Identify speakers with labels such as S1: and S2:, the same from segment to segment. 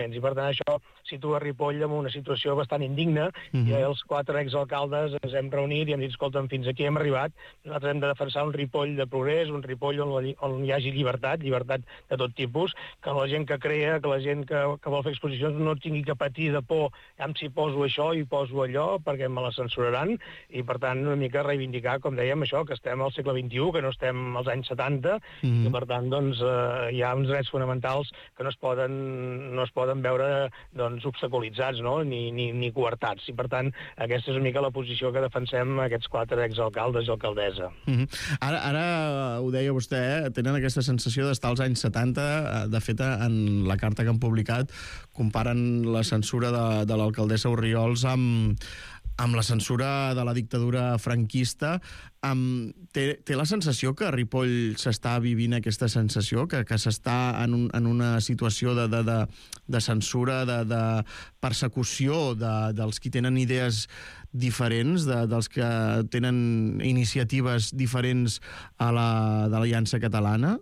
S1: I per tant això situa Ripoll en una situació bastant indigna, i els 4 exalcaldes ens hem reunit i hem dit, escolta'm, fins aquí hem arribat, nosaltres hem de defensar un Ripoll de progrés, un Ripoll on hi hagi llibertat de tot tipus, que la gent que crea, que la gent que vol fer exposicions no tingui que patir de por, si poso això i poso allò, perquè me la censuraran, i per tant una mica reivindicar, com dèiem, això, que estem al segle XXI, que no estem als anys 70, i per tant doncs, hi ha uns drets fonamentals que no es poden veure doncs, obstaculitzats, no? ni coartats. I per tant, aquesta és una mica la posició que defensem aquests 4 exalcaldes i alcaldessa.
S2: Ara ho deia vostè, tenen aquesta sensació d'estar als anys 70. De fet, en la carta que han publicat comparen la censura de l'alcaldessa Orriols amb la censura de la dictadura franquista. Té la sensació que a Ripoll s'està vivint aquesta sensació, que s'està en una situació de censura, de persecució dels qui tenen idees diferents, dels que tenen iniciatives diferents de l'Aliança Catalana?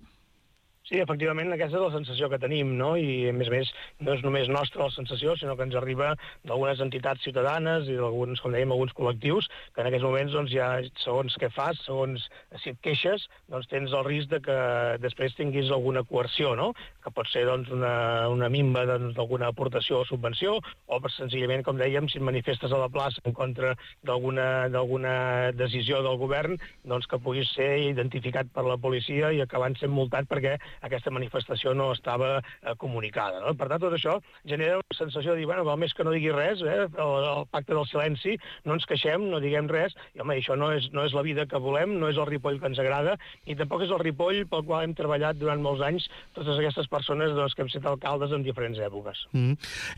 S1: Sí, efectivament, aquesta és la sensació que tenim, no? I, a més, no és només nostra la sensació, sinó que ens arriba d'algunes entitats ciutadanes i d'alguns, com dèiem, alguns col·lectius, que en aquests moments, doncs, ja, segons què fas, segons si et queixes, doncs tens el risc de que després tinguis alguna coerció, no? Que pot ser, doncs, una minva d'alguna aportació o subvenció, o senzillament, com dèiem, si et manifestes a la plaça en contra d'alguna decisió del govern, doncs que puguis ser identificat per la policia i acabant sent multat perquè aquesta manifestació no estava comunicada. No? Per tant, tot això genera una sensació de dir, bueno, val més que no digui res, el pacte del silenci, no ens queixem, no diguem res, i home, això no és la vida que volem, no és el Ripoll que ens agrada, i tampoc és el Ripoll pel qual hem treballat durant molts anys totes aquestes persones que hem estat alcaldes en diferents èpoques.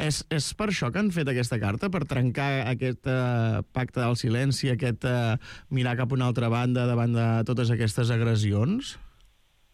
S2: És per això que han fet aquesta carta, per trencar aquest pacte del silenci, aquest mirar cap a una altra banda davant de totes aquestes agressions?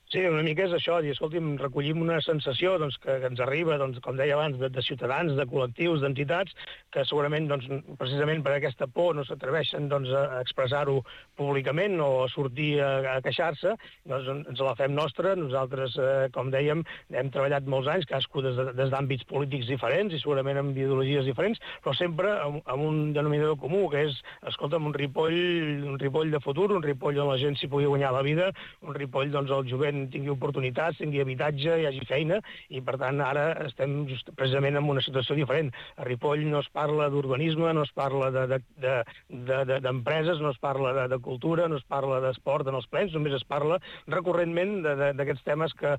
S1: Sí, una mica és això, dir, escolti'm, recollim una sensació doncs, que ens arriba, doncs, com deia abans, de ciutadans, de col·lectius, d'entitats, que segurament, doncs, precisament per aquesta por no s'atreveixen doncs, a expressar-ho públicament o a sortir a queixar-se, doncs ens la fem nostra. Nosaltres, com dèiem, hem treballat molts anys, cadascú des d'àmbits polítics diferents i segurament amb ideologies diferents, però sempre amb un denominador comú, que és, escolta'm, un Ripoll de futur, un Ripoll on la gent s'hi pugui guanyar la vida, un Ripoll, doncs, el jovent tingui oportunitats, tingui habitatge, hi hagi feina, i per tant ara estem precisament en una situació diferent. A Ripoll no es parla d'urbanisme, no es parla d'empreses, no es parla de cultura, no es parla d'esport en els plens, només es parla recurrentment d'aquests temes que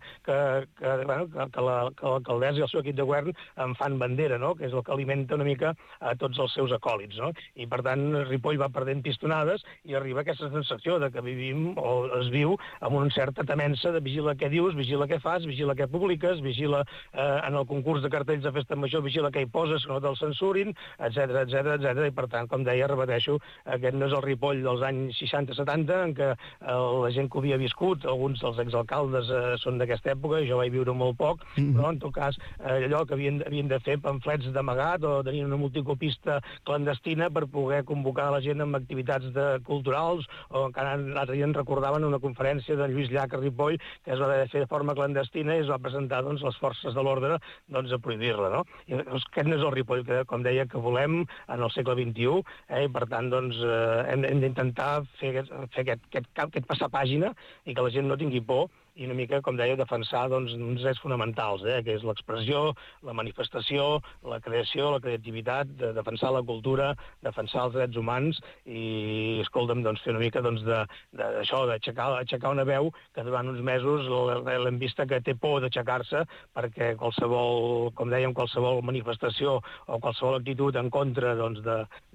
S1: l'alcaldessa i el seu equip de govern en fan bandera, no? Que és el que alimenta una mica a tots els seus acòlits, no? I per tant Ripoll va perdent pistonades i arriba aquesta sensació de que vivim o es viu amb una certa temença de vigila què dius, vigila què fas, vigila què publiques, vigila en el concurs de cartells de festa major, vigila què hi poses, que no te'l censurin, etc. I per tant, com deia, repeteixo, aquest no és el Ripoll dels anys 60-70, en què la gent que ho havia viscut, alguns dels exalcaldes són d'aquesta època, jo vaig viure molt poc, però en tot cas allò que havien de fer pamflets d'amagat o tenir una multicopista clandestina per poder convocar la gent amb activitats culturals, o encara l'altre dia en recordaven una conferència de Lluís Llach a Ripoll, que es va haver de fer de forma clandestina i es va presentar doncs, les forces de l'ordre doncs, a prohibir-la. No? I aquest no és el Ripoll que, com deia, que volem en el segle XXI, i per tant doncs, hem d'intentar fer aquest passar pàgina i que la gent no tingui por i una mica, com deia, defensar doncs, uns drets fonamentals, que és l'expressió, la manifestació, la creació, la creativitat, defensar la cultura, defensar els drets humans i, escolta'm, doncs, fer una mica doncs, d'això, d'aixecar una veu que durant uns mesos l'hem vista que té por d'aixecar-se perquè qualsevol, com dèiem, qualsevol manifestació o qualsevol actitud en contra doncs,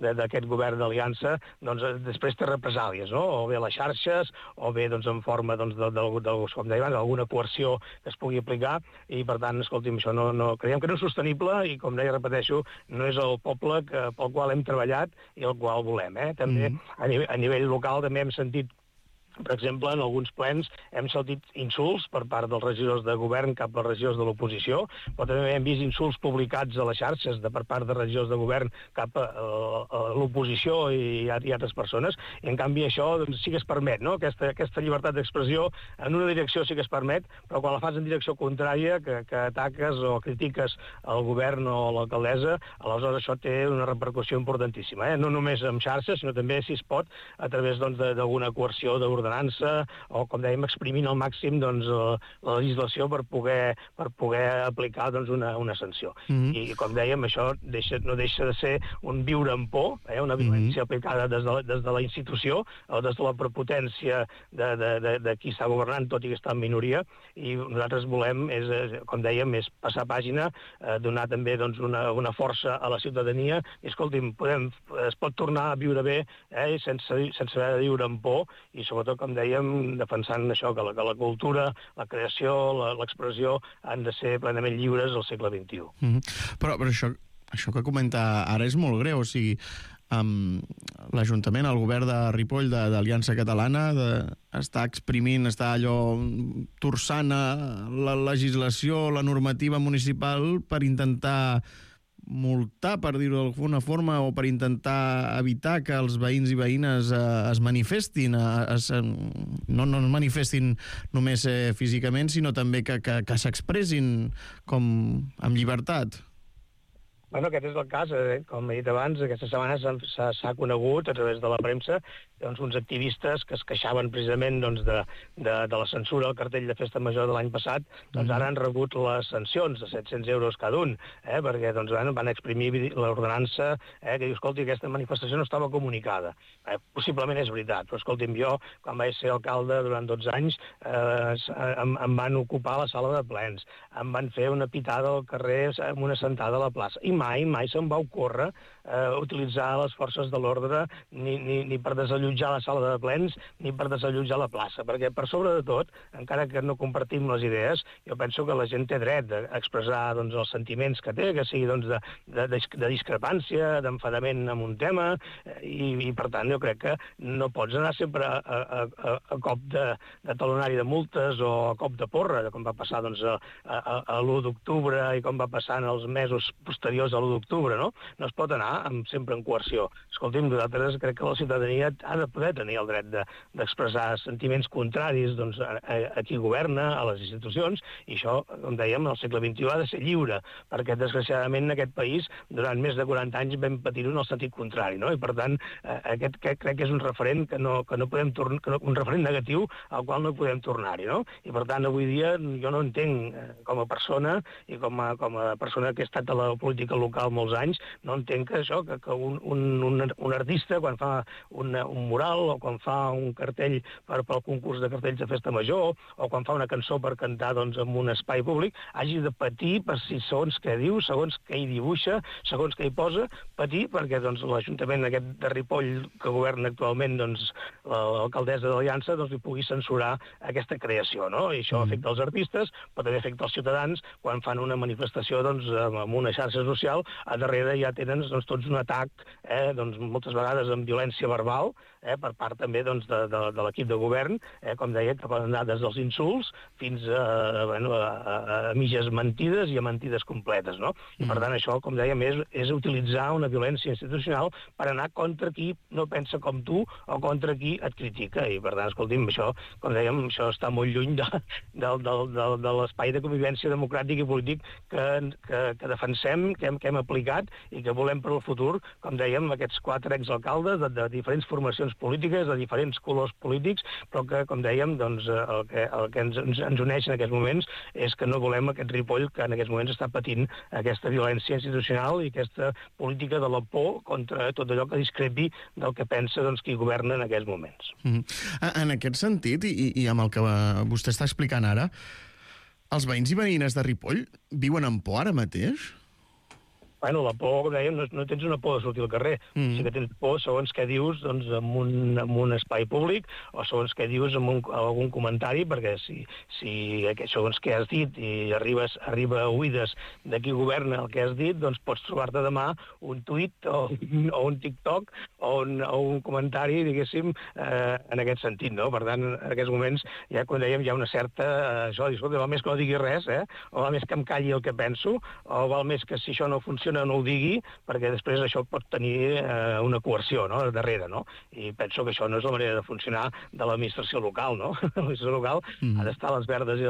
S1: d'aquest govern d'aliança doncs, després té represàlies, no? O bé a les xarxes o bé doncs, en forma doncs, com d'alguna coerció que es pugui aplicar i, per tant, escolti'm, això creiem que no és sostenible i, com deia, repeteixo, no és el poble pel qual hem treballat i el qual volem. També a nivell local també hem sentit Per exemple, en alguns plens hem sentit insults per part dels regidors de govern cap als regidors de l'oposició, però també hem vist insults publicats a les xarxes per part de regidors de govern cap a l'oposició i altres persones, i en canvi això doncs, sí que es permet, no? Aquesta llibertat d'expressió en una direcció sí que es permet, però quan la fas en direcció contrària, que ataques o critiques el govern o l'alcaldessa, aleshores això té una repercussió importantíssima, no només en xarxes, sinó també, si es pot, a través d'alguna coerció d'ordenança o, com dèiem, exprimint al màxim doncs, la legislació per poder aplicar doncs, una sanció. I, com dèiem, això no deixa de ser un viure en por, una violència aplicada des de la institució o des de la prepotència de qui està governant, tot i que està en minoria, i nosaltres volem, com dèiem, és passar pàgina, donar també doncs, una força a la ciutadania, i, escolti'm, es pot tornar a viure bé sense haver de viure en por, i sobretot, com dèiem, defensant això, que la cultura, la creació, l'expressió han de ser plenament lliures al segle XXI.
S2: Però això que comenta ara és molt greu, o sigui, l'Ajuntament, el govern de Ripoll d'Aliança Catalana està exprimint, està allò torçant la legislació, la normativa municipal per intentar multar, per dir-ho d'alguna forma, o per intentar evitar que els veïns i veïnes es manifestin, no es manifestin només físicament, sinó també que s'expressin com amb llibertat.
S1: Bueno, aquest és el cas, com he dit abans, aquesta setmana s'ha conegut a través de la premsa doncs, uns activistes que es queixaven precisament doncs, de la censura al cartell de Festa Major de l'any passat, doncs ara han rebut les sancions de 700 euros cada un, perquè doncs, van exprimir l'ordenança que diu, escolti, aquesta manifestació no estava comunicada. Possiblement és veritat, però escolti'm, jo, quan vaig ser alcalde durant 12 anys, em van ocupar la sala de plens, em van fer una pitada al carrer amb una sentada a la plaça, i mai se'm va ocórrer utilitzar les forces de l'ordre ni per desallotjar la sala de plens ni per desallotjar la plaça, perquè per sobre de tot, encara que no compartim les idees, jo penso que la gent té dret a expressar doncs, els sentiments que té, que sigui doncs, de discrepància, d'enfadament amb un tema, i per tant jo crec que no pots anar sempre a cop de talonari de multes o a cop de porra, com va passar doncs, a l'1 d'octubre i com va passar en els mesos posteriors a l'1 d'octubre, no? No es pot anar sempre en coerció. Escolti'm, nosaltres crec que la ciutadania ha de poder tenir el dret d'expressar sentiments contraris doncs, a qui governa, a les institucions, i això, com dèiem, al segle XXI ha de ser lliure, perquè desgraciadament en aquest país durant més de 40 anys vam patir-ho en el sentit contrari, no? I per tant, aquest crec que és un referent que no podem tornar, un referent negatiu al qual no podem tornar-hi, no? I per tant, avui dia jo no entenc com a persona i com a persona que ha estat a la política local molts anys, no entenc que això, que un artista quan fa un mural o quan fa un cartell pel concurs de cartells de Festa Major o quan fa una cançó per cantar doncs, en un espai públic, hagi de patir per si segons què diu, segons què hi dibuixa, segons què hi posa, patir perquè doncs, l'Ajuntament aquest de Ripoll que governa actualment doncs, l'alcaldessa de l'Aliança doncs, li pugui censurar aquesta creació, no? I això afecta els artistes, però també afecta els ciutadans quan fan una manifestació doncs, amb una xarxa social, a darrere ja tenen doncs, tots un atac, doncs, moltes vegades amb violència verbal, per part també doncs, de l'equip de govern, com deia, que poden anar des dels insults fins a mitges mentides i a mentides completes, no? I per tant això, com dèiem, és utilitzar una violència institucional per anar contra qui no pensa com tu o contra qui et critica. I per tant, escolti'm, això, com dèiem, això està molt lluny de l'espai de convivència democràtic i polític que defensem, que hem aplicat i que volem per al futur, com dèiem, aquests 4 exalcaldes de diferents formacions polítiques, de diferents colors polítics, però que, com dèiem, doncs, el que ens uneix en aquests moments és que no volem aquest Ripoll que en aquests moments està patint aquesta violència institucional i aquesta política de la por contra tot allò que discrepi del que pensa doncs, qui governa en aquests moments.
S2: En aquest sentit, i amb el que vostè està explicant ara, els veïns i veïnes de Ripoll viuen amb por ara mateix?
S1: Bueno, la por, com dèiem, no tens una por de sortir al carrer. Sí que tens por segons què dius doncs, en un espai públic o segons què dius en algun comentari, perquè si segons què has dit i arriba a oïdes de qui governa el que has dit, doncs pots trobar-te demà un tuit o un TikTok o un comentari, diguéssim, en aquest sentit, no? Per tant, en aquests moments, ja com dèiem, hi ha una certa... escolta, val més que no digui res, o val més que em calli el que penso, o val més que si això no funciona no ho digui, perquè després això pot tenir una coerció, no?, darrere, no? I penso que això no és la manera de funcionar de l'administració local, no? L'administració local ha d'estar a les verdes i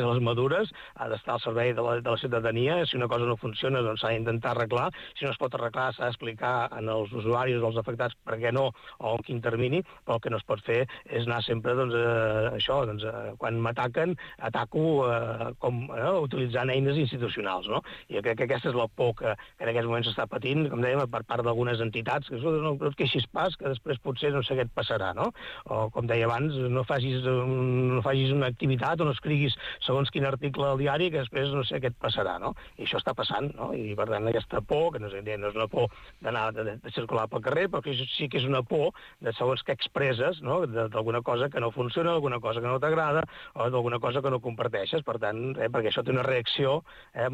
S1: les madures, ha d'estar al servei de la ciutadania. Si una cosa no funciona, doncs s'ha d'intentar arreglar. Si no es pot arreglar, s'ha d'explicar als usuaris o als afectats per què no, o en quin termini, però el que no es pot fer és anar sempre, doncs, quan m'ataquen, ataco utilitzant eines institucionals, no? I crec que aquesta és la por que en aquests moments s'està patint, com dèiem, per part d'algunes entitats, que no et queixis pas, que després potser no sé què et passarà, no? O, com deia abans, no facis una activitat o no escriguis segons quin article al diari, que després no sé què et passarà, no? I això està passant, no? I, per tant, aquesta por, que no és una por d'anar de circular pel carrer, però que sí que és una por de segons què expresses, no?, d'alguna cosa que no funciona, d'alguna cosa que no t'agrada, o d'alguna cosa que no comparteixes. Per tant, perquè això té una reacció,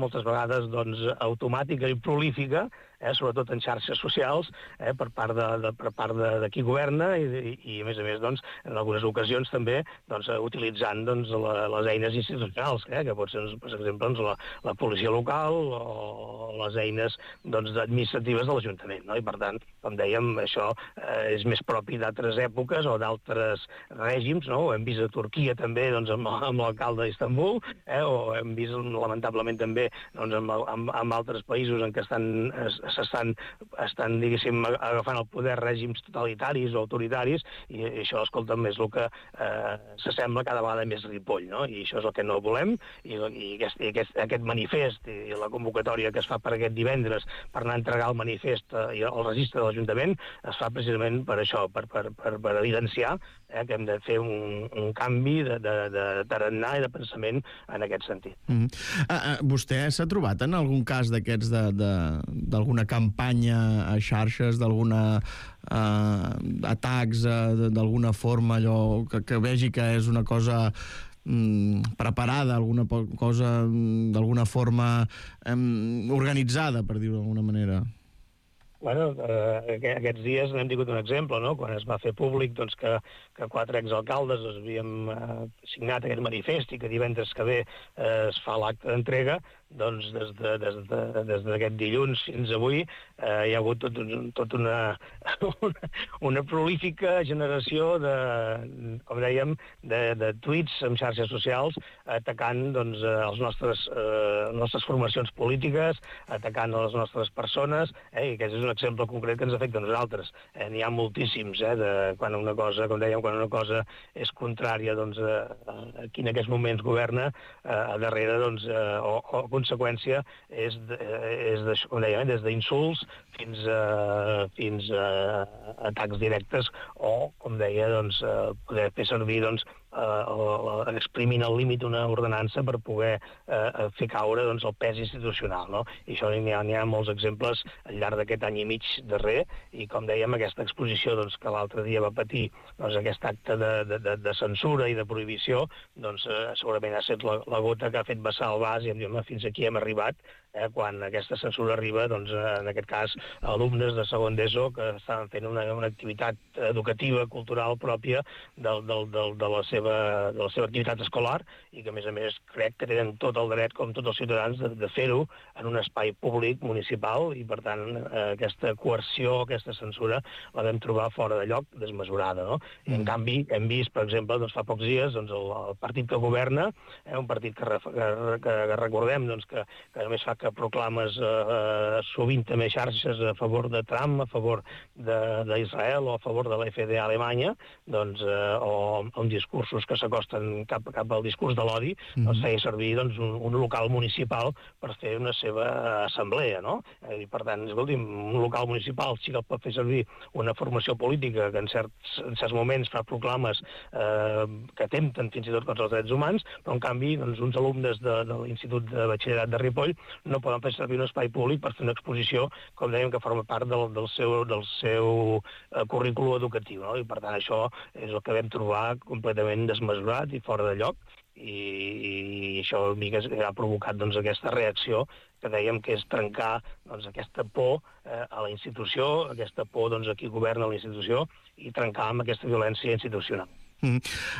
S1: moltes vegades, doncs, automàtica i prolífica, sobretot en xarxes socials, per part de qui governa i a més, doncs, en algunes ocasions també doncs, utilitzant doncs, les eines institucionals, que pot ser, per exemple, doncs, la policia local o les eines doncs, administratives de l'Ajuntament, no? I, per tant, com dèiem, això és més propi d'altres èpoques o d'altres règims, no? Ho hem vist a Turquia també doncs, amb l'alcalde d'Istanbul, o hem vist, lamentablement, també doncs, amb altres països en què estan, diguéssim, agafant el poder règims totalitaris o autoritaris, i això, escolta'm, és el que s'assembla cada vegada més Ripoll, no? I això és el que no volem, i aquest manifest i la convocatòria que es fa per aquest divendres per anar a entregar el manifest i el registre de l'Ajuntament es fa precisament per això, per evidenciar que hem de fer un canvi de tarannà i de pensament en aquest sentit.
S2: Vostè s'ha trobat en algun cas d'aquests d'alguna campanya a xarxes, d'alguna atacs d'alguna forma, allò que vegi que és una cosa preparada, alguna cosa d'alguna forma organitzada, per dir-ho d'alguna manera?
S1: Bueno, aquests dies n'hem tingut un exemple, no?, quan es va fer públic doncs, que 4 exalcaldes havíem signat aquest manifest i que divendres que ve es fa l'acte d'entrega, doncs des d'aquest dilluns fins avui hi ha hagut tot una prolífica generació com dèiem, de tuits en xarxes socials atacant doncs, les nostres formacions polítiques, atacant les nostres persones, i aquest és un exemple concret que ens afecta a nosaltres. N'hi ha moltíssims, quan una cosa, com dèiem, quan una cosa és contrària doncs, a qui en aquests moments governa, a darrere, doncs, o conseqüència és com dèiem, des d'insults fins a atacs directes o, com deia, doncs, poder fer servir doncs, exprimint al límit una ordenança per poder fer caure doncs, el pes institucional, no? I això n'hi ha molts exemples al llarg d'aquest any i mig darrer, i com dèiem, aquesta exposició doncs, que l'altre dia va patir doncs, aquest acte de censura i de prohibició, doncs segurament ha estat la gota que ha fet vessar el vas i hem dit, fins aquí hem arribat, quan aquesta censura arriba, doncs, en aquest cas, alumnes de segon d'ESO que estaven fent una activitat educativa, cultural pròpia de la seva activitat escolar i que, a més, crec que tenen tot el dret, com tots els ciutadans, de fer-ho en un espai públic, municipal, i, per tant, aquesta coerció, aquesta censura, la vam trobar fora de lloc, desmesurada, no? I, en canvi, hem vist, per exemple, doncs, fa pocs dies, doncs, el partit que governa, un partit que recordem doncs, que només fa que proclames sovint també xarxes a favor de Trump, a favor d'Israel o a favor de la FDA Alemanya, doncs, o amb discursos que s'acosten cap al discurs de l'odi, doncs feia servir doncs, un local municipal per fer una seva assemblea, no? I, per tant, escolti'm, un local municipal sí que el pot fer servir una formació política que en certs moments fa proclames que atempten fins i tot contra els drets humans, però en canvi doncs, uns alumnes de l'Institut de Batxillerat de Ripoll no poden fer servir un espai públic per fer una exposició, com dèiem, que forma part del seu currículum educatiu, no? I per tant això és el que vam trobar completament desmesurat i fora de lloc, i això ha provocat aquesta reacció que dèiem que és trencar aquesta por a la institució, aquesta por a qui governa la institució, i trencar amb aquesta violència institucional.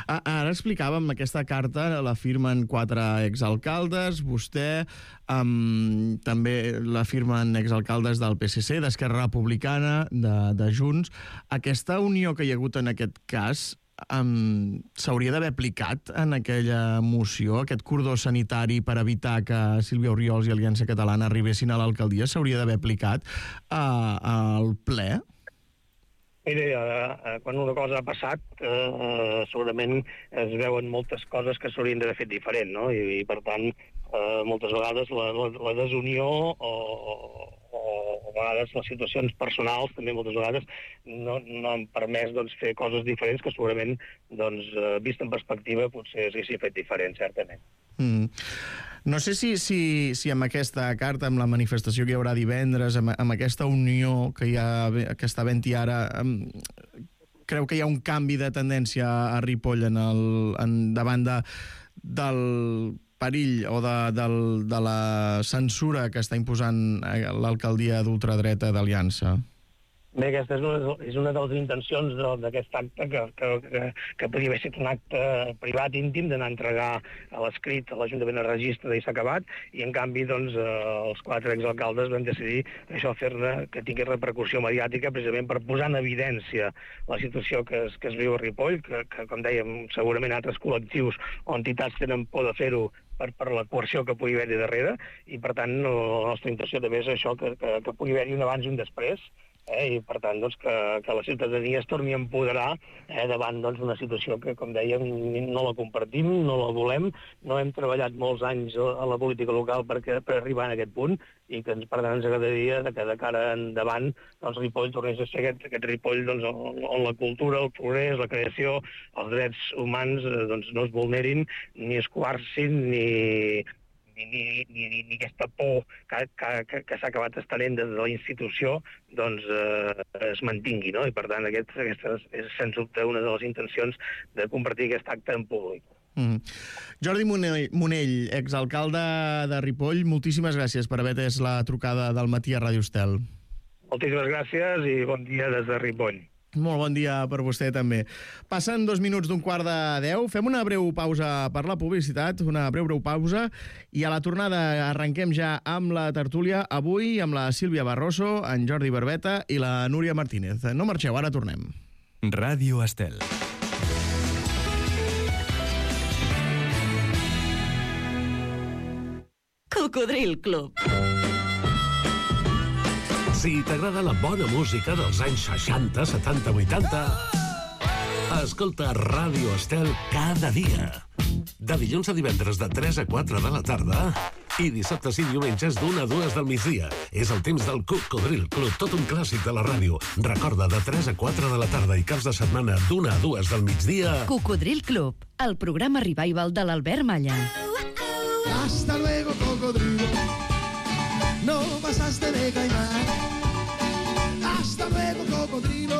S2: Ara explicàvem, aquesta carta la firmen 4 exalcaldes, vostè, també la firmen exalcaldes del PSC, d'Esquerra Republicana, de Junts. Aquesta unió que hi ha hagut en aquest cas s'hauria d'haver aplicat en aquella moció, aquest cordó sanitari per evitar que Sílvia Orriols i Aliança Catalana arribessin a l'alcaldia, s'hauria d'haver aplicat al ple?
S1: Mira, quan una cosa ha passat, segurament es veuen moltes coses que s'haurien d'haver fet diferent, no? I per tant, moltes vegades la desunió o a vegades les situacions personals també moltes vegades no han permès fer coses diferents que segurament, vist en perspectiva, potser s'haguessin fet diferent, certament.
S2: No sé si amb aquesta carta, amb la manifestació que hi haurà divendres, amb aquesta unió que està havent-hi ara, creu que hi ha un canvi de tendència a Ripoll davant del perill o de la censura que està imposant l'alcaldia d'ultradreta d'Aliança?
S1: Bé, aquesta és una de les intencions d'aquest acte, que podria haver estat un acte privat íntim d'anar a entregar a l'escrit a l'Ajuntament de Registre i s'ha acabat, i en canvi els 4 exalcaldes van decidir això, fer-ne que tingui repercussió mediàtica, precisament per posar en evidència la situació que es viu a Ripoll, que com dèiem, segurament altres col·lectius o entitats tenen por de fer-ho per la coerció que pugui haver-hi darrere, i per tant la nostra intenció també és això, que pugui haver-hi un abans i un després, i per tant que la ciutadania es torni a empoderar davant una situació que, com dèiem, no la compartim, no la volem, no hem treballat molts anys a la política local per arribar a aquest punt, i que per tant ens agradaria que de cara endavant Ripoll tornés a ser aquest Ripoll on la cultura, el progrés, la creació, els drets humans no es vulnerin, ni es coarcin, ni aquesta por que s'ha acabat estenent des de la institució es mantingui, no? I per tant aquesta és sens dubte una de les intencions de compartir aquest acte en públic.
S2: Jordi Monell, exalcalde de Ripoll, moltíssimes gràcies per haver atès la trucada del matí a Ràdio Estel.
S1: Moltíssimes gràcies i bon dia des de Ripoll.
S2: Molt bon dia per vostè també. Passen 2 minuts d'11:45, fem una breu pausa per la publicitat, una breu pausa, i a la tornada arrenquem ja amb la tertúlia, avui amb la Sílvia Barroso, en Jordi Barbeta i la Núria Martínez. No marxeu, ara tornem.
S3: Ràdio Estel.
S4: Cocodril Club.
S5: Si t'agrada la bona música dels anys 60, 70, 80, escolta Ràdio Estel cada dia. De dilluns a divendres de 3 a 4 de la tarda i dissabtes i diumenges d'1 a 2 del migdia. És el temps del Cocodril Club, tot un clàssic de la ràdio. Recorda, de 3 a 4 de la tarda i caps de setmana d'1 a 2 del migdia.
S4: Cocodril Club, el programa revival de l'Albert Malla.
S6: Hasta luego, cocodrilo. No pasaste de caimán. Hasta luego, cocodrilo.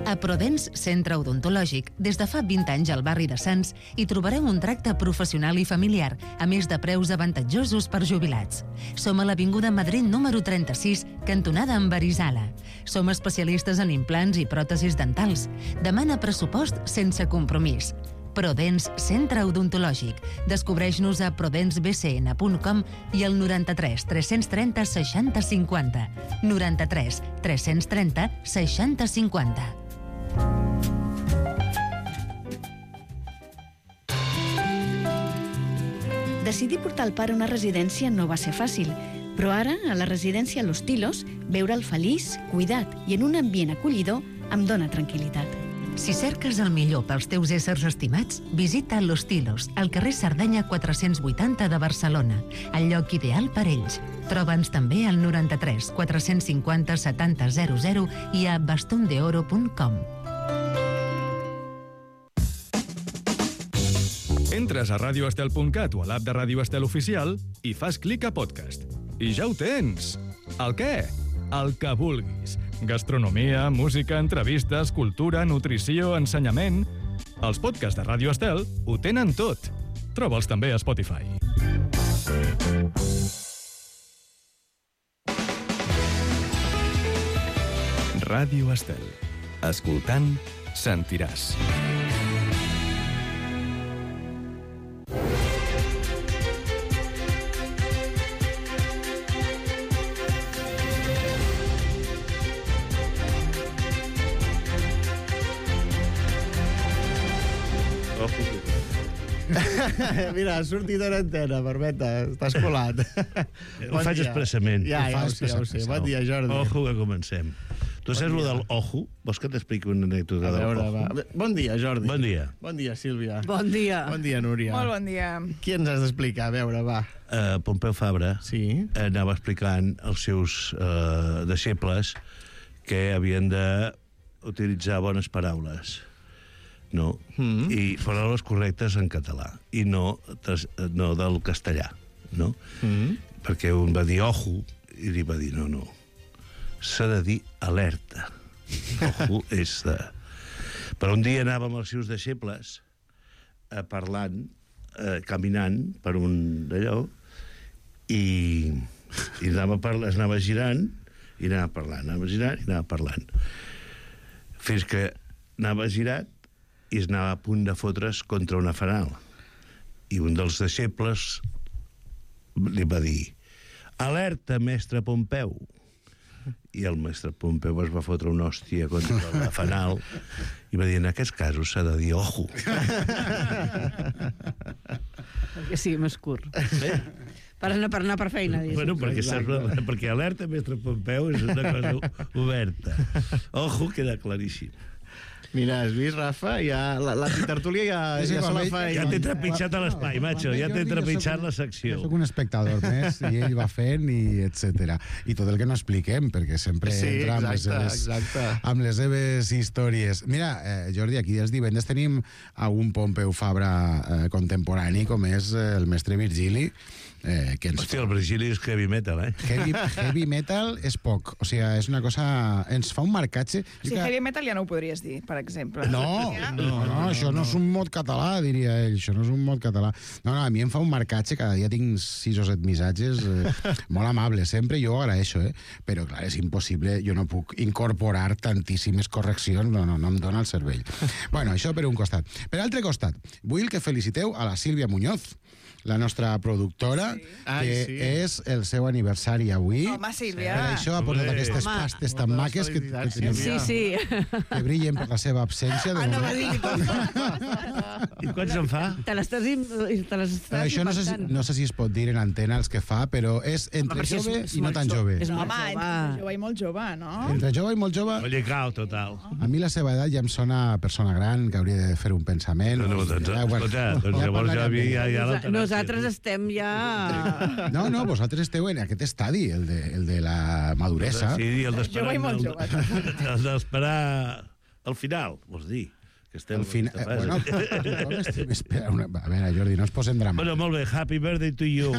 S7: A Prodens Centre Odontològic, des de fa 20 anys al barri de Sants, hi trobareu un tracte professional i familiar, a més de preus avantatjosos per jubilats. Som a l'Avinguda Madrid número 36, cantonada amb Arizala. Som especialistes en implants i pròtesis dentals. Demana pressupost sense compromís. Prodens Centre Odontològic. Descobreix-nos a prodensbcn.com i al 93 330 60 50. 93 330 60 50.
S8: Decidir portar el pare a una residència no va ser fàcil, però ara, a la residència Los Tilos, veure'l feliç, cuidat i en un ambient acollidor em dóna tranquil·litat.
S7: Si cerques el millor pels teus éssers estimats, visita Los Tilos, al carrer Cerdanya 480 de Barcelona, el lloc ideal per ells. Troba'ns també al 93 450 70 00 i a bastondeoro.com.
S3: Entres a radioestel.cat o a l'app de Ràdio Estel Oficial i fas clic a podcast. I ja ho tens! El què? El que vulguis. Gastronomia, música, entrevistes, cultura, nutrició, ensenyament... Els podcasts de Ràdio Estel ho tenen tot. Troba'ls també a Spotify. Ràdio Estel. Escoltant, sentiràs.
S2: Mira, ha sortit una antena, Barbeta, estàs colat.
S9: Ho faig expressament.
S2: Ja ho sé. Bon dia, Jordi.
S9: Ojo, que comencem. Tu saps lo del ojo? Vols que t'expliqui una anècdota del ojo?
S2: Bon dia, Jordi.
S9: Bon dia.
S2: Bon dia, Sílvia.
S10: Bon dia.
S2: Bon dia, Núria.
S10: Molt bon dia.
S2: Qui ens has d'explicar? A veure, va.
S9: Pompeu Fabra anava explicant als seus deixebles que havien d'utilitzar bones paraules. No? I paraules correctes en català i no del castellà, no? Perquè un va dir ojo i li va dir no, s'ha de dir alerta. Ojo és de... Però un dia anàvem els seus deixebles parlant, caminant per un d'allò i anava girant i anava parlant fins que anava girat i es anava a punt de fotre's contra una fanal. I un dels deixebles li va dir alerta, mestre Pompeu. I el mestre Pompeu es va fotre una hòstia contra la fanal i va dir, en aquests casos s'ha de dir ojo.
S10: Perquè sí, més curt. Per anar per feina.
S9: Bueno, perquè alerta, mestre Pompeu, és una cosa oberta. Ojo, queda claríssim.
S2: Mira, has vist, Rafa? Ja, la tertúlia ja se la fa...
S9: Ja t'he trepitjat a l'espai, macho. Ja t'he trepitjat la secció.
S11: Jo soc un espectador més, i ell va fent, i etcètera. I tot el que no expliquem, perquè sempre entra amb les seves històries. Mira, Jordi, aquí els divendres tenim a un Pompeu Fabra contemporani, com és el mestre Virgili,
S9: Hòstia, el Virgili és heavy metal,
S11: Heavy metal és poc. O sigui, és una cosa... Ens fa un marcatge...
S10: Sí, heavy metal ja no ho podries dir, per exemple.
S11: No, això no és un mot català, diria ell. Això no és un mot català. No, a mi em fa un marcatge, cada dia tinc 6 o 7 missatges molt amables, sempre jo agraeixo, però clar, és impossible, jo no puc incorporar tantíssimes correccions, no em dona el cervell. Bueno, això per un costat. Per altre costat, vull que feliciteu a la Sílvia Muñoz, la nostra productora, és el seu aniversari avui.
S10: Home, Sílvia!
S11: Per això ha portat aquestes pastes tan maques que tenim.
S10: Sí.
S11: Que brillen per la seva absència.
S10: No va dir
S9: I quants en fa?
S10: Te l'estàs
S11: això no sé si es pot dir en antena els que fa, però és entre jove i no tan jove.
S10: Home, entre jove i molt jove, no?
S11: Entre jove i molt jove...
S9: Mollicau, total.
S11: A mi la seva edat ja em sona persona gran, que hauria de fer un pensament.
S9: Doncs llavors ja la
S10: nosaltres estem ja...
S11: No, vosaltres esteu en aquest estadi, el de la maduresa.
S9: Sí, el d'esperar...
S10: Jove i molt jove.
S9: El d'esperar al final, vols dir.
S11: Al final... Bueno, a veure, Jordi, no ens posem dramàtics.
S9: Bueno, molt bé, happy birthday to you,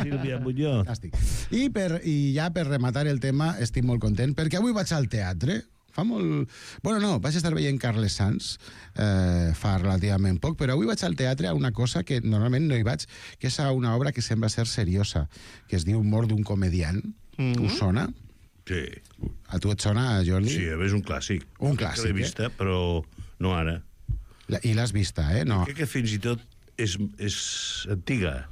S9: Sílvia Muñoz.
S11: Fantàstic. I ja per rematar el tema, estic molt content, perquè avui vaig al teatre. Fa molt... Bueno, no, vaig estar veient Carles Sans fa relativament poc, però avui vaig al teatre a una cosa que normalment no hi vaig, que és a una obra que sembla ser seriosa, que es diu Mort d'un comediant. Us sona?
S9: Sí.
S11: A tu et sona, Jordi?
S9: Sí, és un clàssic.
S11: Un clàssic,
S9: l'he vista, però no ara.
S11: I l'has vista, no?
S9: Crec que fins i tot és antiga.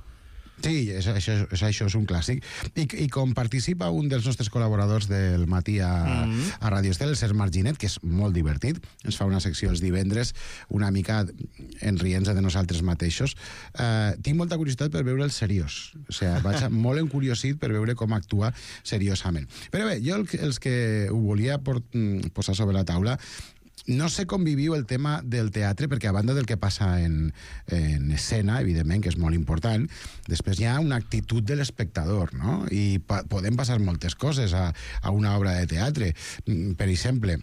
S11: Sí, això és un clàssic. I com participa un dels nostres col·laboradors del matí a Ràdio Estel, el Sergi Marginet, que és molt divertit, ens fa una secció els divendres, una mica enrient-se de nosaltres mateixos. Tinc molta curiositat per veure el seriós. O sigui, vaig molt encuriosit per veure com actua seriosament. Però bé, jo els que ho volia posar sobre la taula, no sé com viviu el tema del teatre, perquè a banda del que passa en escena, evidentment, que és molt important, després hi ha una actitud de l'espectador, no? I podem passar moltes coses a una obra de teatre. Per exemple,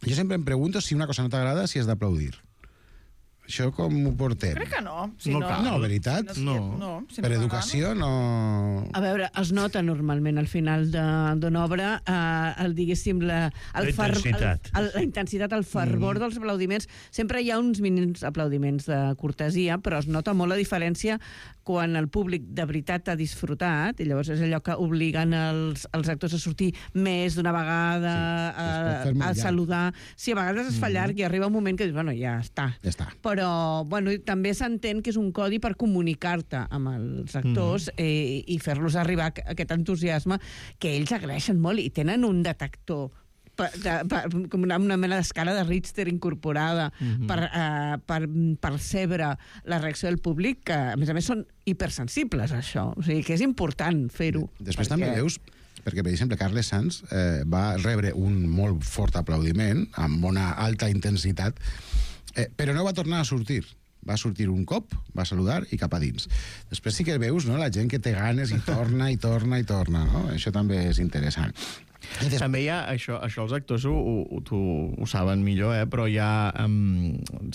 S11: jo sempre em pregunto si una cosa no t'agrada, si has d'aplaudir. Això com ho portem?
S12: Crec que no.
S11: No, veritat?
S12: No.
S11: Per educació no...
S10: A veure, es nota normalment al final d'una obra diguéssim, la intensitat, el fervor dels aplaudiments. Sempre hi ha uns mínims aplaudiments de cortesia, però es nota molt la diferència quan el públic de veritat ha disfrutat, i llavors és allò que obliguen els actors a sortir més d'una vegada, a saludar. Sí, a vegades es fa llarg i arriba un moment que dius, bueno, ja està. Però, bueno, també s'entén que és un codi per comunicar-te amb els actors i fer-los arribar aquest entusiasme que ells agraeixen molt i tenen un detector com una mena d'escala de Richter incorporada per percebre la reacció del públic, que a més són hipersensibles a això, o sigui que és important fer-ho.
S11: Després també veus, perquè per exemple Carles Sans va rebre un molt fort aplaudiment amb una alta intensitat, però no va tornar a sortir. Va sortir un cop, va saludar i cap a dins. Després sí que veus, no?, la gent que té ganes i torna, no? Això també és interessant.
S2: També hi ha això els actors ho saben millor, però hi ha,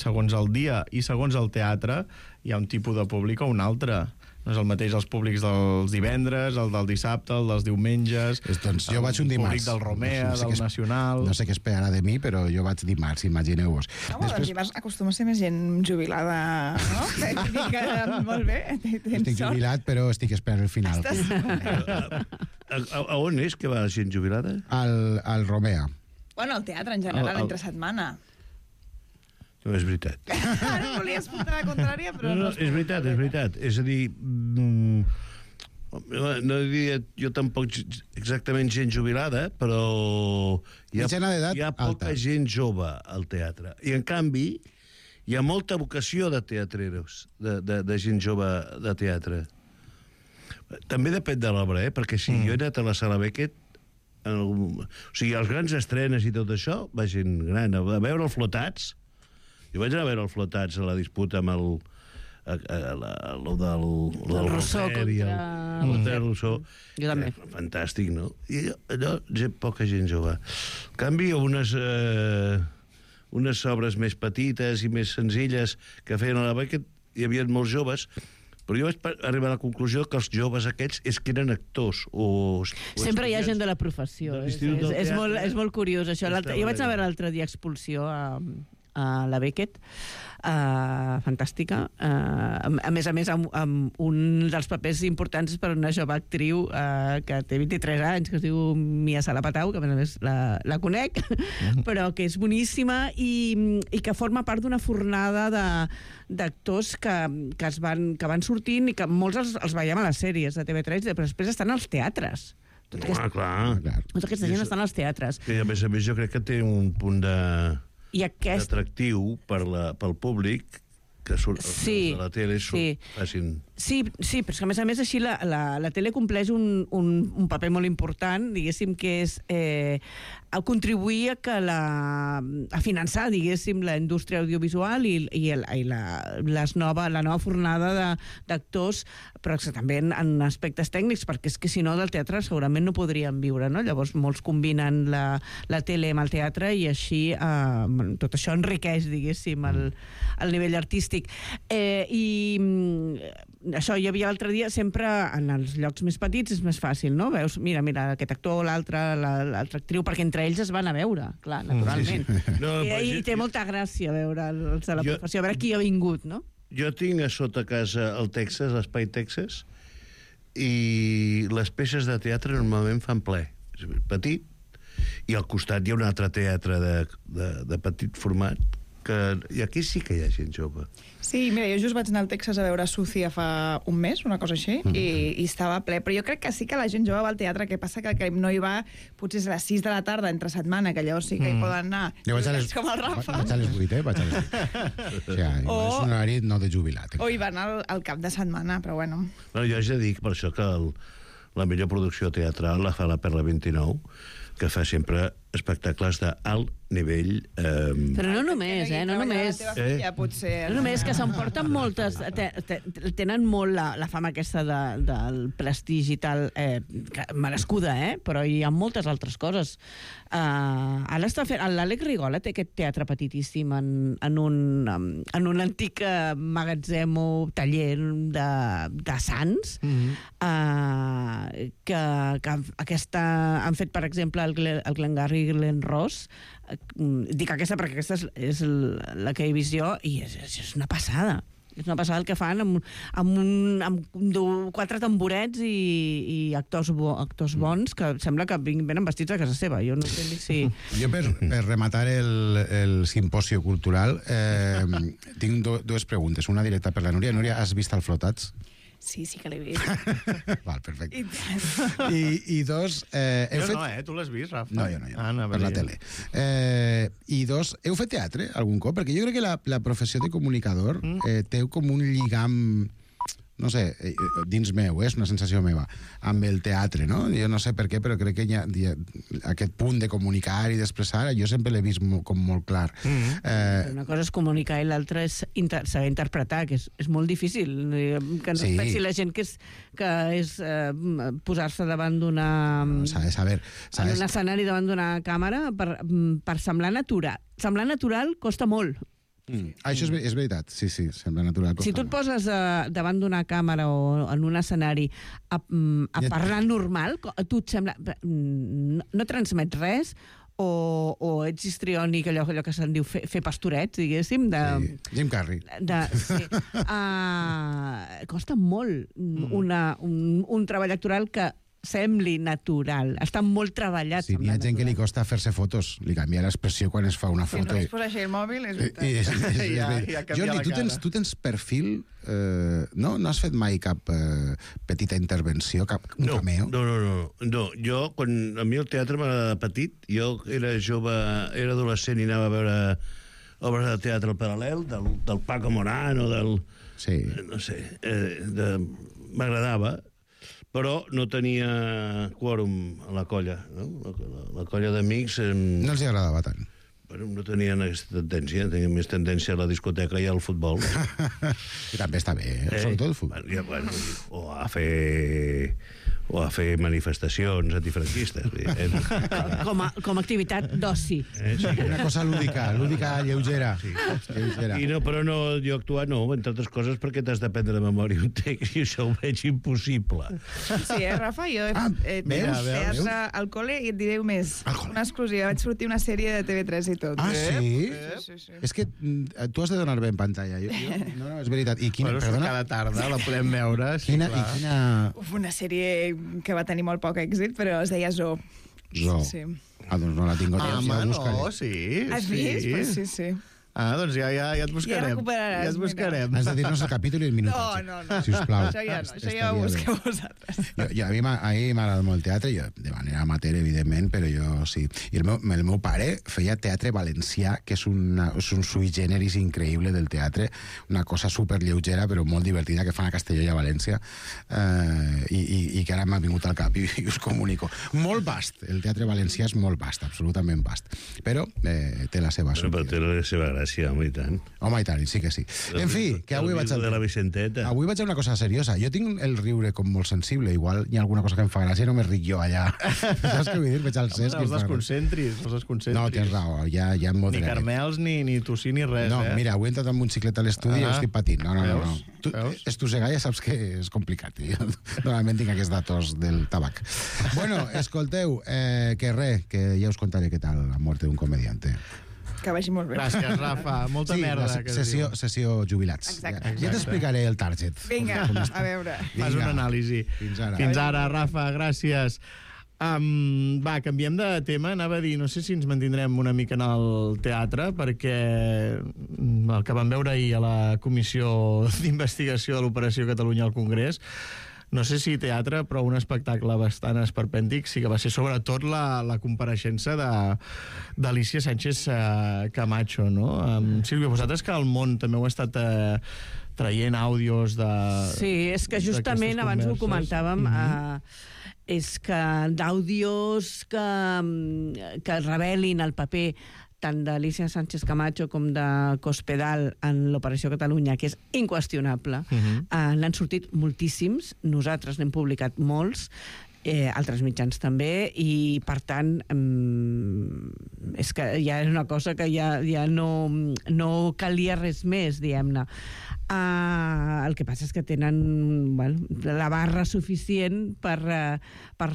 S2: segons el dia i segons el teatre, hi ha un tipus de públic o un altre. No és el mateix els públics dels divendres, el del dissabte, el dels diumenges...
S11: Doncs jo vaig un dimarts.
S2: El públic del Romea, del Nacional...
S11: No sé què esperarà de mi, però jo vaig dimarts, imagineu-vos.
S12: Doncs dimarts acostuma a ser més gent jubilada, no? Molt bé,
S11: estic jubilat, però estic esperant el final.
S9: A on és que va la gent jubilada?
S11: Al Romea.
S12: Bueno, al teatre en general, entre setmana.
S9: No, és veritat.
S12: Ara volies portar la contrària, però no...
S9: És veritat. És a dir, no diria jo tampoc exactament gent jubilada, però hi ha poca gent jove al teatre. I, en canvi, hi ha molta vocació de teatreros, de gent jove de teatre. També depèn de l'obra, perquè si jo he anat a la Sala Beckett, o sigui, els grans estrenes i tot això, va gent gran, a veure els Flotats. Jo vaig anar a veure els Flotats a la disputa amb el
S10: Rousseau contra...
S9: el Rousseau.
S10: Jo també.
S9: Fantàstic, no? I allò, poca gent jove. En canvi, unes obres més petites i més senzilles que feien a la Beckett, hi havia molts joves, però jo vaig arribar a la conclusió que els joves aquests és que eren actors
S10: sempre hi ha gent de la professió. És molt curiós, això. Jo vaig anar a veure l'altre dia Expulsió a la Beckett, fantàstica. A més, amb un dels papers importants per una jove actriu que té 23 anys, que es diu Mia Salapatau, que a més la conec, però que és boníssima i que forma part d'una fornada d'actors que van sortint i que molts els veiem a les sèries de TV3, però després estan als teatres.
S9: Clar.
S10: Tota aquesta gent estan als teatres.
S9: I a més jo crec que té un punt d'atractiu pel públic que surt de la tele facin...
S10: Sí, però és que a més així la tele compleix un paper molt important, diguéssim, que és contribuir a finançar, diguéssim, la indústria audiovisual i la nova fornada d'actors, però també en aspectes tècnics, perquè és que si no del teatre segurament no podrien viure, no? Llavors molts combinen la tele amb el teatre i així tot això enriqueix, diguéssim, el nivell artístic. I això hi havia l'altre dia, sempre en els llocs més petits és més fàcil, no? Veus, mira, aquest actor, l'altra actriu, perquè entre ells es van a veure, clar, naturalment. I té molta gràcia veure els de la professió, a veure qui ha vingut, no?
S9: Jo tinc a sota casa el Texas, l'Espai Texas, i les peces de teatre normalment fan ple. És petit, i al costat hi ha un altre teatre de petit format, i aquí sí que hi ha gent jove.
S12: Sí, mira, jo just vaig anar al Texas a veure Sucia fa un mes, una cosa així, i estava ple. Però jo crec que sí que la gent jove va al teatre, que passa que no hi va potser a les 6 de la tarda entre setmana, que llavors sí que hi poden anar.
S11: Jo vaig com el Rafa. Vaig a les 8, vaig a les 8. O sigui, és un horari no de jubilat.
S12: O hi van al cap de setmana, però bueno.
S9: Jo ja dic per això que la millor producció teatral la fa la Perla 29, que fa sempre espectacles d'alt nivell.
S10: Però no només, no només.
S12: No
S10: només que s'emporten moltes... Tenen molt la fama aquesta del prestigi tal, merescuda, però hi ha moltes altres coses. Ara està fent... L'Àlex Rigola té aquest teatre petitíssim en un antic magatzem o taller de Sants, que han fet, per exemple, el Glengarry i Glen Ross. Dic aquesta perquè aquesta és la que he vist jo i és una passada. És una passada el que fan amb 4 tamborets i actors bons que sembla que venen vestits a casa seva. Jo no sé si...
S11: Jo, per rematar el simposio cultural, tinc dues preguntes. Una directa per la Núria. Núria, has vist el Flotats?
S12: Sí que l'he vist.
S11: Val, perfecte. I dos...
S2: Jo no, tu l'has vist, Rafa?
S11: No, jo no, per la tele. I dos, heu fet teatre algun cop? Perquè jo crec que la professió de comunicador té com un lligam, no sé, dins meu, és una sensació meva, amb el teatre, no? Jo no sé per què, però crec que hi ha aquest punt de comunicar i d'expressar, jo sempre l'he vist com molt clar.
S10: Una cosa és comunicar i l'altra és saber interpretar, que és molt difícil. Que no es pensi la gent que és posar-se davant d'una... en un escenari davant d'una càmera per semblar natural. Semblar natural costa molt.
S11: Això és veritat, sí, sembla natural.
S10: Si tu et poses davant d'una càmera o en un escenari a parlar normal, tu et sembla... no transmets res o ets histriònic, allò que se'n diu fer pastorets, diguéssim.
S11: Jim Carrey.
S10: Costa molt un treball actoral que sembli natural. Està molt treballat.
S11: Sí, hi ha gent que li costa fer-se fotos. Li canvia l'expressió quan es fa una foto.
S12: Si no es posa així el mòbil, és veritat.
S11: Jordi, tu tens perfil... No has fet mai cap petita intervenció, cap cameo?
S9: No. Jo, quan a mi el teatre m'agrada petit, jo era jove, era adolescent i anava a veure obres de teatre al paral·lel, del Paco Morán o del...
S11: Sí.
S9: No sé, m'agradava, però no tenia quòrum a la colla, no? La colla d'amics...
S11: No els agradava tant.
S9: Bueno, no tenien aquesta tendència, tenien més tendència a la discoteca i al futbol.
S11: I també està bé, sobretot el futbol.
S9: Bueno, o a fer manifestacions antifranquistes.
S10: Com a activitat d'oci.
S11: Una cosa lúdica lleugera.
S9: Però no, jo actuar no, entre altres coses perquè t'has d'aprendre de memòria un text i això ho veig impossible.
S12: Sí, Rafa? Jo he teatre al col·le i et diré més. Una exclusiva. Vaig sortir una sèrie de TV3 i tot.
S11: Ah, sí? És que tu has de donar bé en pantalla. No, és veritat.
S2: Cada tarda la podem veure.
S12: Una sèrie que va tenir molt poc èxit, però es deia Zoo.
S11: Zoo.
S12: Sí.
S11: Doncs no la tinc.
S2: Sí.
S12: Has vist? Pues sí.
S2: Doncs ja et buscarem.
S12: Ja
S2: et buscarem.
S11: Has de dir-nos el capítol i el minut.
S12: No.
S11: Sisplau.
S12: Això ja ho busqueu vosaltres.
S11: A mi m'agrada molt el teatre, jo de manera amateur, evidentment, però jo sí. I el meu pare feia teatre valencià, que és un sui generis increïble del teatre, una cosa superlleugera, però molt divertida, que fan a Castelló i a València, i que ara m'ha vingut al cap i us comunico. Molt vast, el teatre valencià és molt vast, absolutament vast, però té la seva
S9: té la seva gràcia. Home, i tant.
S11: Home, i tant, sí que sí. En fi, que avui vaig
S9: de la Vicenteta.
S11: Avui vaig a una cosa seriosa. Jo tinc el riure com molt sensible. Igual hi ha alguna cosa que em fa gràcia i no me ric jo allà. Saps què vull dir? Veig al Cesc.
S2: Els desconcentris.
S11: No, tens raó. Ja em moderaré.
S2: Ni carmels, ni tossí, ni res.
S11: No, mira, avui he entrat amb un xiclet a l'estudi i estic patint. No. Estossegar ja saps que és complicat. Normalment tinc aquests datos del tabac. Bueno, escolteu, que ja us contaré què tal la mort d'un comediante.
S12: Que vagi molt bé.
S2: Gràcies, Rafa. Molta merda.
S11: Sessió jubilats.
S12: Exacte.
S11: Ja t'explicaré el target.
S12: Vinga, a veure.
S2: Fas una anàlisi. Fins ara, Rafa, gràcies. Canviem de tema. Anava a dir, no sé si ens mantindrem una mica en el teatre, perquè el que vam veure ahir a la Comissió d'Investigació de l'Operació Catalunya al Congrés, no sé si teatre, però un espectacle bastant esperpèntic sí que va ser sobretot la compareixença d'Alícia Sánchez Camacho, no? Sílvia, vosaltres que al món també heu estat traient àudios de...
S10: Sí, és que justament abans ho comentàvem... és que d'àudios que revelin el paper tant d'Alícia Sánchez Camacho com de Cospedal en l'Operació Catalunya, que és inqüestionable. N'han sortit moltíssims, nosaltres n'hem publicat molts, altres mitjans també, i per tant és que ja és una cosa que ja no calia res més, diguem-ne. El que passa és que tenen la barra suficient per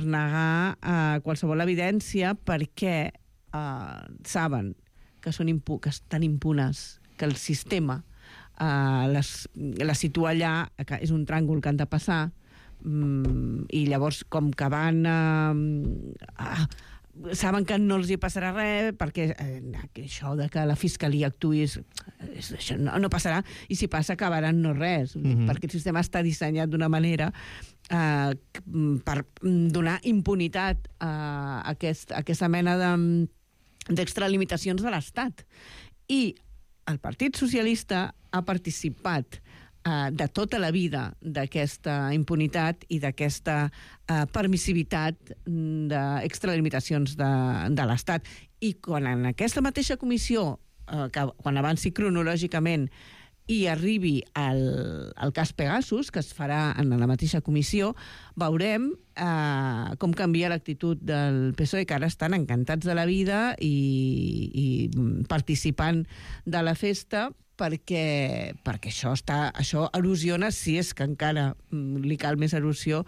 S10: negar qualsevol evidència, perquè saben que estan impunes, que el sistema la situa allà, que és un tràngol que han de passar, i llavors com que van saben que no els hi passarà res, perquè això de que la fiscalia actuï això no passarà, i si passa acabaran no res, perquè el sistema està dissenyat d'una manera per donar impunitat a aquesta mena d'extralimitacions de l'Estat. I el Partit Socialista ha participat de tota la vida d'aquesta impunitat i d'aquesta permissivitat d'extralimitacions de l'Estat. I quan en aquesta mateixa comissió, quan avanci cronològicament i arribi al cas Pegasus, que es farà en la mateixa comissió, veurem com canvia l'actitud del PSOE, que ara estan encantats de la vida i participant de la festa, perquè això erosiona, si és que encara li cal més erosió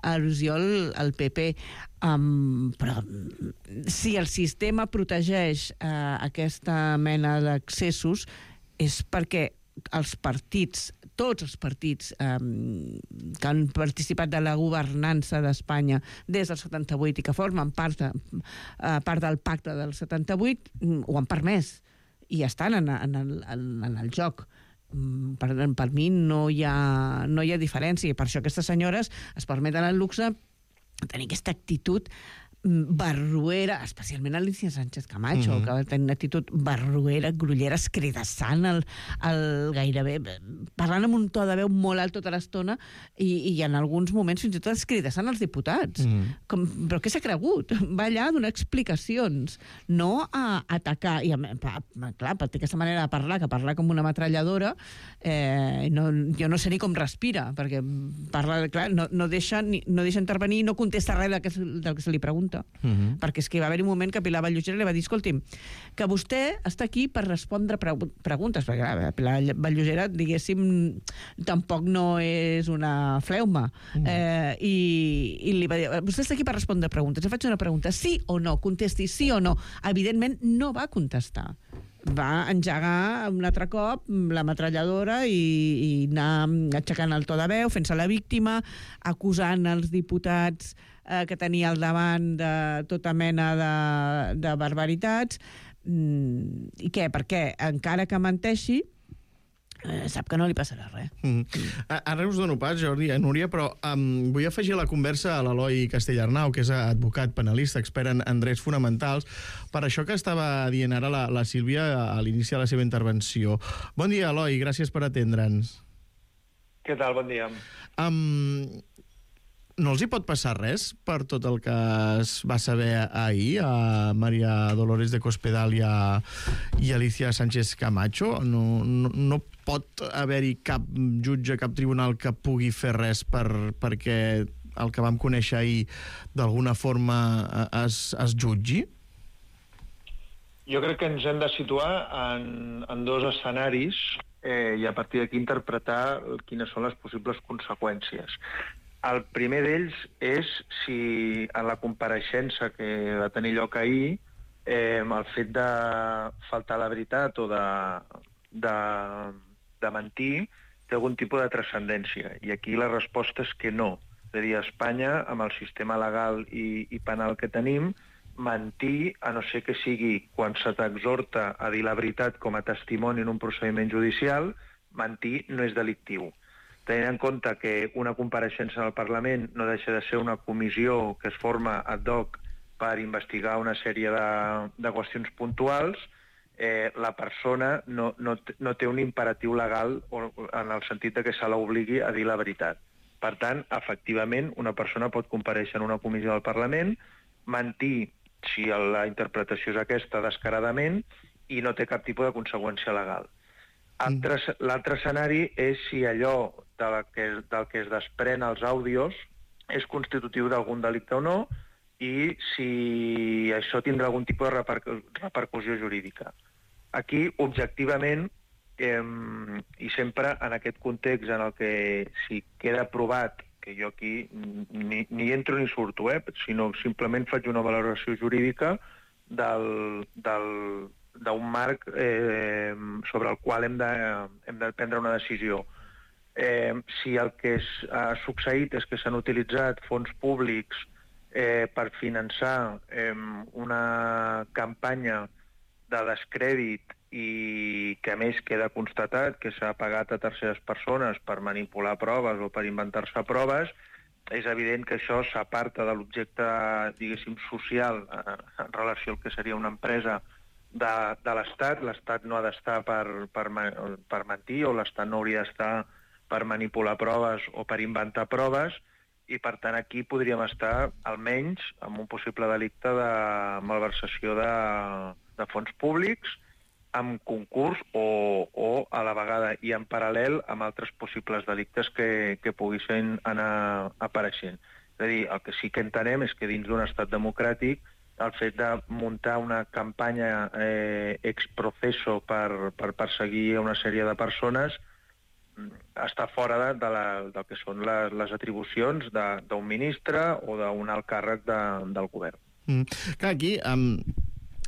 S10: al PP. Però si el sistema protegeix aquesta mena d'accessos, és perquè els partits, tots els partits que han participat de la governança d'Espanya des del 78 i que formen part del pacte del 78 ho han permès i estan en el joc. Per mi no hi ha diferència, i per això aquestes senyores es permeten el luxe de tenir aquesta actitud barruera, especialment Alícia Sánchez Camacho, que va tenir una actitud barruera, grullera, escridassant, gairebé, parlant amb un to de veu molt alt tota l'estona i en alguns moments fins i tot escridassant els diputats. Però què s'ha cregut? Va allà a donar explicacions, no a atacar. I clar, té aquesta manera de parlar, que parla com una metralladora, jo no sé ni com respira, perquè parla, clar, no deixa intervenir, no contesta res del que se li pregunta. Perquè és que va haver un moment que Pilar Vallugera li va dir: escolti'm, que vostè està aquí per respondre preguntes, perquè clar, Pilar Vallugera, diguéssim, tampoc no és una fleuma, i li va dir: vostè està aquí per respondre preguntes, jo faig una pregunta, sí o no, contesti sí o no. Evidentment no va contestar, va engegar un altre cop la metralladora i anar aixecant el to de veu, fent-se la víctima, acusant els diputats que tenia al davant de tota mena de barbaritats. I què? Perquè encara que menteixi, sap que no li passarà res.
S2: Ara us dono pas, Jordi, Núria, però vull afegir a la conversa a l'Eloi Castellarnau, que és advocat, penalista, expert en drets fonamentals, per això que estava dient ara la Sílvia a l'inici de la seva intervenció. Bon dia, Eloi, gràcies per atendre'ns.
S13: Què tal? Bon dia.
S2: No els hi pot passar res per tot el que es va saber ahir a María Dolores de Cospedal i a Alícia Sánchez Camacho? No pot haver-hi cap jutge, cap tribunal que pugui fer res perquè el que vam conèixer ahir d'alguna forma es jutgi?
S13: Jo crec que ens hem de situar en dos escenaris i a partir d'aquí interpretar quines són les possibles conseqüències. El primer d'ells és si en la compareixença que va tenir lloc ahir el fet de faltar la veritat o de mentir té algun tipus de transcendència. I aquí la resposta és que no. És a dir, a Espanya, amb el sistema legal i penal que tenim, mentir, a no ser que sigui quan se t'exhorta a dir la veritat com a testimoni en un procediment judicial, mentir no és delictiu. Tenint en compte que una compareixença al Parlament no deixa de ser una comissió que es forma ad hoc per investigar una sèrie de qüestions puntuals, la persona no té un imperatiu legal en el sentit que se l'obligui a dir la veritat. Per tant, efectivament, una persona pot comparèixer en una comissió del Parlament, mentir, si la interpretació és aquesta, descaradament, i no té cap tipus de conseqüència legal. L'altre escenari és si allò del que es desprèn als àudios és constitutiu d'algun delicte o no, i si això tindrà algun tipus de repercussió jurídica. Aquí, objectivament, i sempre en aquest context en el que si queda provat, que jo aquí ni entro ni surto, sinó simplement faig una valoració jurídica d'un marc sobre el qual hem de prendre una decisió. Si el que ha succeït és que s'han utilitzat fons públics per finançar una campanya de descrèdit i que a més queda constatat que s'ha pagat a terceres persones per manipular proves o per inventar-se proves, és evident que això s'aparta de l'objecte, diguéssim, social en relació al que seria una empresa de l'Estat. L'Estat no ha d'estar per mentir, o l'Estat no hauria d'estar per manipular proves o per inventar proves, i per tant aquí podríem estar almenys amb un possible delicte de malversació de fons públics, amb concurs o a la vegada i en paral·lel amb altres possibles delictes que poguessin anar apareixent. És a dir, el que sí que entenem és que dins d'un estat democràtic el fet de muntar una campanya ex proceso per perseguir una sèrie de persones està fora del que són les atribucions d'un ministre o d'un alt càrrec del govern.
S2: Clar, aquí...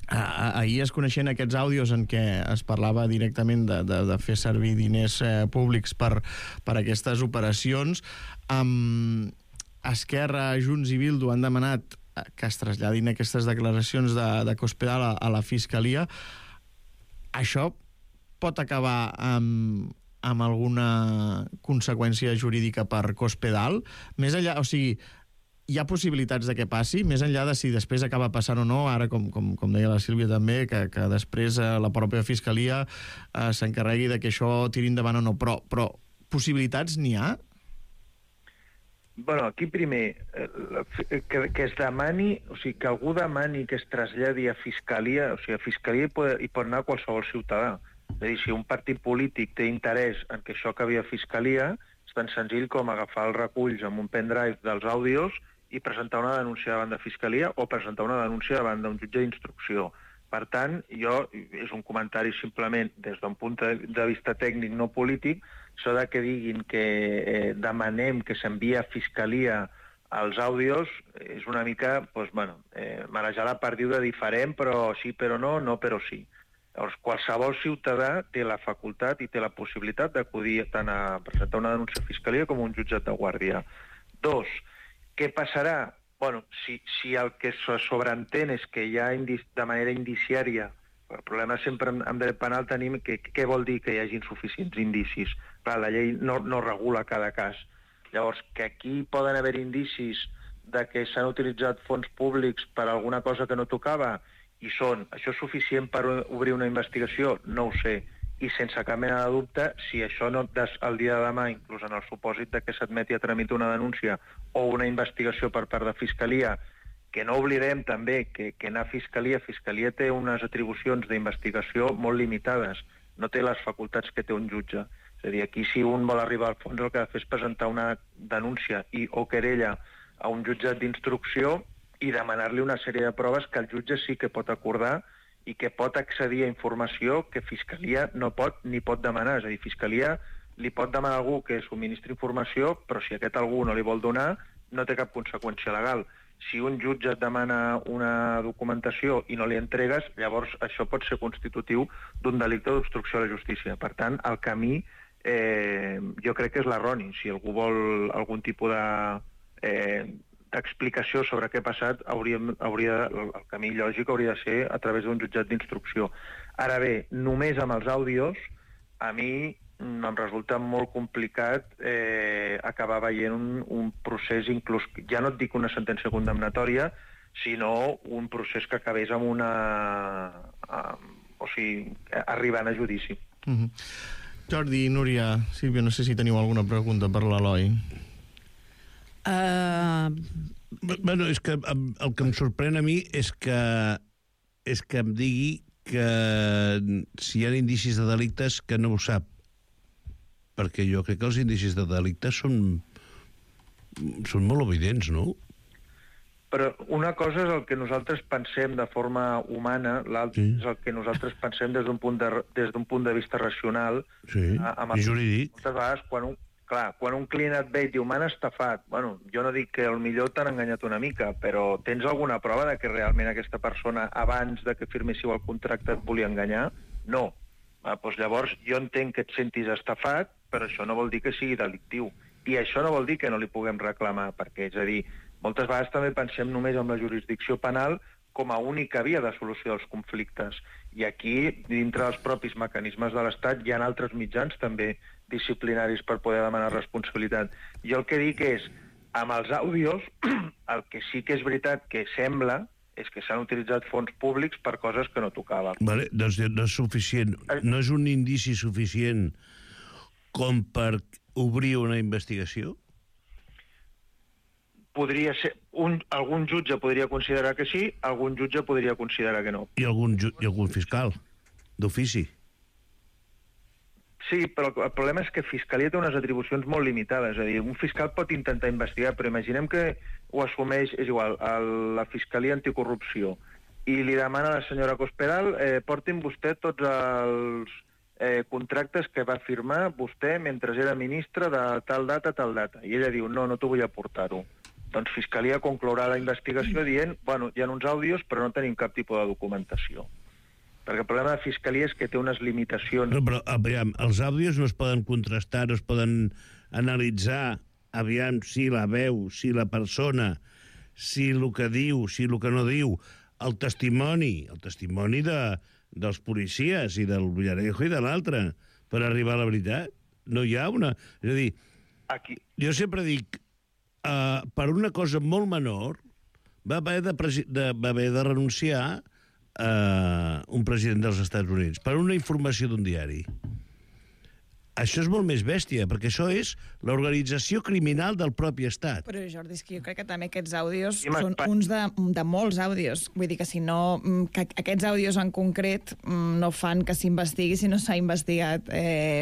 S2: Ahir es coneixien aquests àudios en què es parlava directament de fer servir diners públics per aquestes operacions. Esquerra, Junts i Bildu han demanat que es traslladin aquestes declaracions de Cospedal a la Fiscalia. Això pot acabar amb alguna conseqüència jurídica per Cospedal? Més enllà, o sigui, hi ha possibilitats de que passi, més enllà de si després acaba passant o no, ara, com deia la Sílvia també, que després la pròpia Fiscalia s'encarregui de que això tiri endavant o no, però possibilitats n'hi ha?
S13: Bueno, aquí primer, que es demani, o sigui, que algú demani que es traslladi a Fiscalia, o sigui, a Fiscalia hi pot anar qualsevol ciutadà. És a dir, si un partit polític té interès en que això acabi a Fiscalia, és tan senzill com agafar els reculls amb un pendrive dels àudios i presentar una denúncia davant de Fiscalia o presentar una denúncia davant d'un jutge d'instrucció. Per tant, és un comentari simplement des d'un punt de vista tècnic, no polític, això de que diguin que demanem que s'envia a Fiscalia els àudios és una mica, marejar la perdiu de diferent, però sí, però no, no, però sí. Llavors, qualsevol ciutadà té la facultat i té la possibilitat d'acudir tant a presentar una denúncia a Fiscalia com a un jutjat de guàrdia. 2, què passarà? Bueno, si el que se sobreentén és que hi ha de manera indiciària, el problema sempre en dret penal tenim què vol dir que hi hagi insuficients indicis. Clar, la llei no regula cada cas. Llavors, que aquí poden haver indicis de que s'han utilitzat fons públics per alguna cosa que no tocava, i això és suficient per obrir una investigació? No ho sé. I sense cap mena de dubte, si això no el dia de demà, inclús en el supòsit de que s'admeti a tramitar una denúncia o una investigació per part de Fiscalia, que no oblidem també que anar a Fiscalia té unes atribucions d'investigació molt limitades, no té les facultats que té un jutge. És a dir, aquí si un vol arribar al fons el que ha de fer és presentar una denúncia o querella a un jutjat d'instrucció i demanar-li una sèrie de proves que el jutge sí que pot acordar i que pot accedir a informació que Fiscalia no pot ni pot demanar. És a dir, Fiscalia li pot demanar a algú que subministri informació, però si aquest algú no li vol donar, no té cap conseqüència legal. Si un jutge et demana una documentació i no li entregues, llavors això pot ser constitutiu d'un delicte d'obstrucció a la justícia. Per tant, el camí jo crec que és l'erroni. Si algú vol algun tipus d'explicació sobre què ha passat, el camí lògic hauria de ser a través d'un jutjat d'instrucció. Ara bé, només amb els àudios, a mi em resulta molt complicat acabar veient un procés, inclús, ja no et dic una sentència condemnatòria, sinó un procés que acabés amb arribant a judici.
S2: Jordi, Núria, Sílvia, no sé si teniu alguna pregunta per l'Eloi.
S9: Bueno, és que el que em sorprèn a mi és que em digui que si hi ha indicis de delictes que no ho sap. Perquè jo crec que els indicis de delictes són molt evidents, no?
S13: Però una cosa és el que nosaltres pensem de forma humana, l'altra és el que nosaltres pensem des d'un punt de vista racional.
S9: Sí, i jurídic.
S13: Moltes vegades, quan un client et ve i diu m'han estafat, bueno, jo no dic que millor t'han enganyat una mica, però tens alguna prova de que realment aquesta persona, abans de que firméssiu el contracte, et volia enganyar? No. Doncs llavors jo entenc que et sentis estafat, però això no vol dir que sigui delictiu. I això no vol dir que no li puguem reclamar, perquè, és a dir, moltes vegades també pensem només en la jurisdicció penal com a única via de solució dels conflictes. I aquí, dintre dels propis mecanismes de l'Estat, hi ha altres mitjans també disciplinaris per poder demanar responsabilitat. Jo el que dic és, amb els àudios, el que sí que és veritat que sembla és que s'han utilitzat fons públics per coses que no tocaven.
S9: Vale, doncs no és suficient. No és un indici suficient com per obrir una investigació?
S13: Podria ser... Algun jutge podria considerar que sí, algun jutge podria considerar que no.
S9: I algun fiscal, d'ofici?
S13: Sí, però el problema és que Fiscalia té unes atribucions molt limitades. És a dir, un fiscal pot intentar investigar, però imaginem que ho assumeix, és igual, la Fiscalia Anticorrupció, i li demana a la senyora Cospedal portin vostè tots els contractes que va firmar vostè mentre era ministre de tal data a tal data. I ella diu, no t'ho vull aportar-ho. Doncs Fiscalia conclourà la investigació dient, bueno, hi ha uns àudios, però no tenim cap tipus de documentació. Perquè el problema de Fiscalia és que té unes limitacions...
S9: No, però, aviam, els àudios no es poden contrastar, no es poden analitzar, aviam, si la veu, si la persona, si el que diu, si el que no diu, el testimoni dels policies i del Villarejo i de l'altre, per arribar a la veritat. No hi ha una... És a dir, jo sempre dic, per una cosa molt menor va haver de renunciar un president dels Estats Units per una informació d'un diari. Això és molt més bèstia, perquè això és l'organització criminal del propi estat.
S12: Però, Jordi, és que jo crec que també aquests àudios són uns de molts àudios. Vull dir que si no... que aquests àudios en concret no fan que s'investigui si no s'ha investigat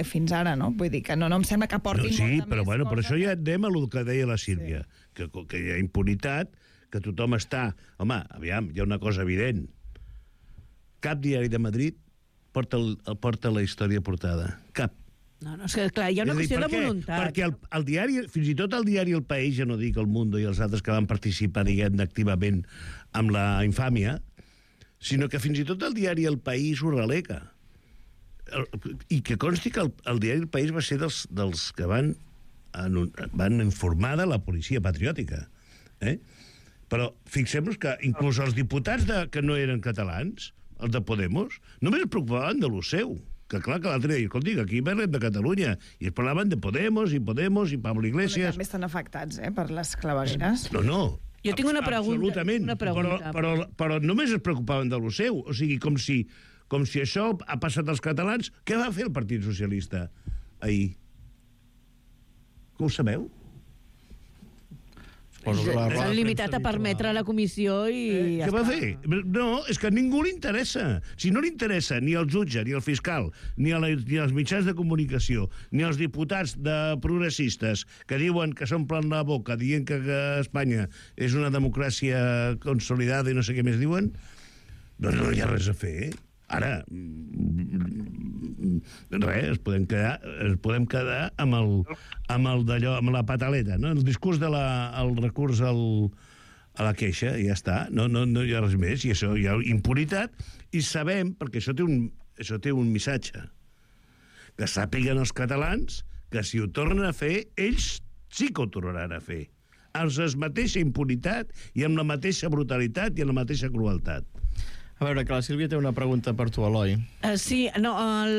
S12: fins ara, no? Vull dir que no em sembla que aportin molta més cosa. Sí, però bueno, per això ja anem a el que deia la Sílvia, que hi ha impunitat, que tothom està... Home, aviam, hi ha una cosa evident. Cap diari de Madrid porta la història portada. Cap.
S10: No, és que, clar, hi ha una qüestió de voluntat.
S9: Perquè el diari, fins i tot el diari El País, ja no dic El Mundo i els altres que van participar, diguem, activament amb la infàmia, sinó que fins i tot el diari El País ho relega. I que consti que el diari El País va ser dels que van informar de la policia patriòtica. Però fixem-nos que inclús els diputats que no eren catalans, els de Podemos, només es preocupaven de lo seu. Que clar que l'altre dia, escolti, aquí parlem de Catalunya, i es parlaven de Podemos i Pablo Iglesias.
S12: Però també estan afectats, per les clavegueres.
S9: No.
S10: Jo tinc una pregunta.
S9: Absolutament. Però només es preocupaven de lo seu. O sigui, com si això ha passat als catalans. Què va fer el Partit Socialista ahir? Que ho sabeu?
S10: S'han limitat a permetre la comissió i...
S9: Què va fer? No, és que a ningú li interessa. Si no li interessa ni el jutge, ni el fiscal, ni els mitjans de comunicació, ni els diputats progressistes que diuen que s'omplen la boca dient que Espanya és una democràcia consolidada i no sé què més diuen, doncs no hi ha res a fer. Ara, res, ens podem quedar amb la pataleta, no? El discurs el recurs a la queixa, i ja està, no hi ha res més, i això hi ha impunitat, i sabem, perquè això té un missatge, que sàpiguen els catalans que si ho tornen a fer, ells sí que ho tornaran a fer, amb la mateixa impunitat i amb la mateixa brutalitat i amb la mateixa crueltat.
S2: A veure, que la Sílvia té una pregunta per tu, Eloi.
S10: Sí, no,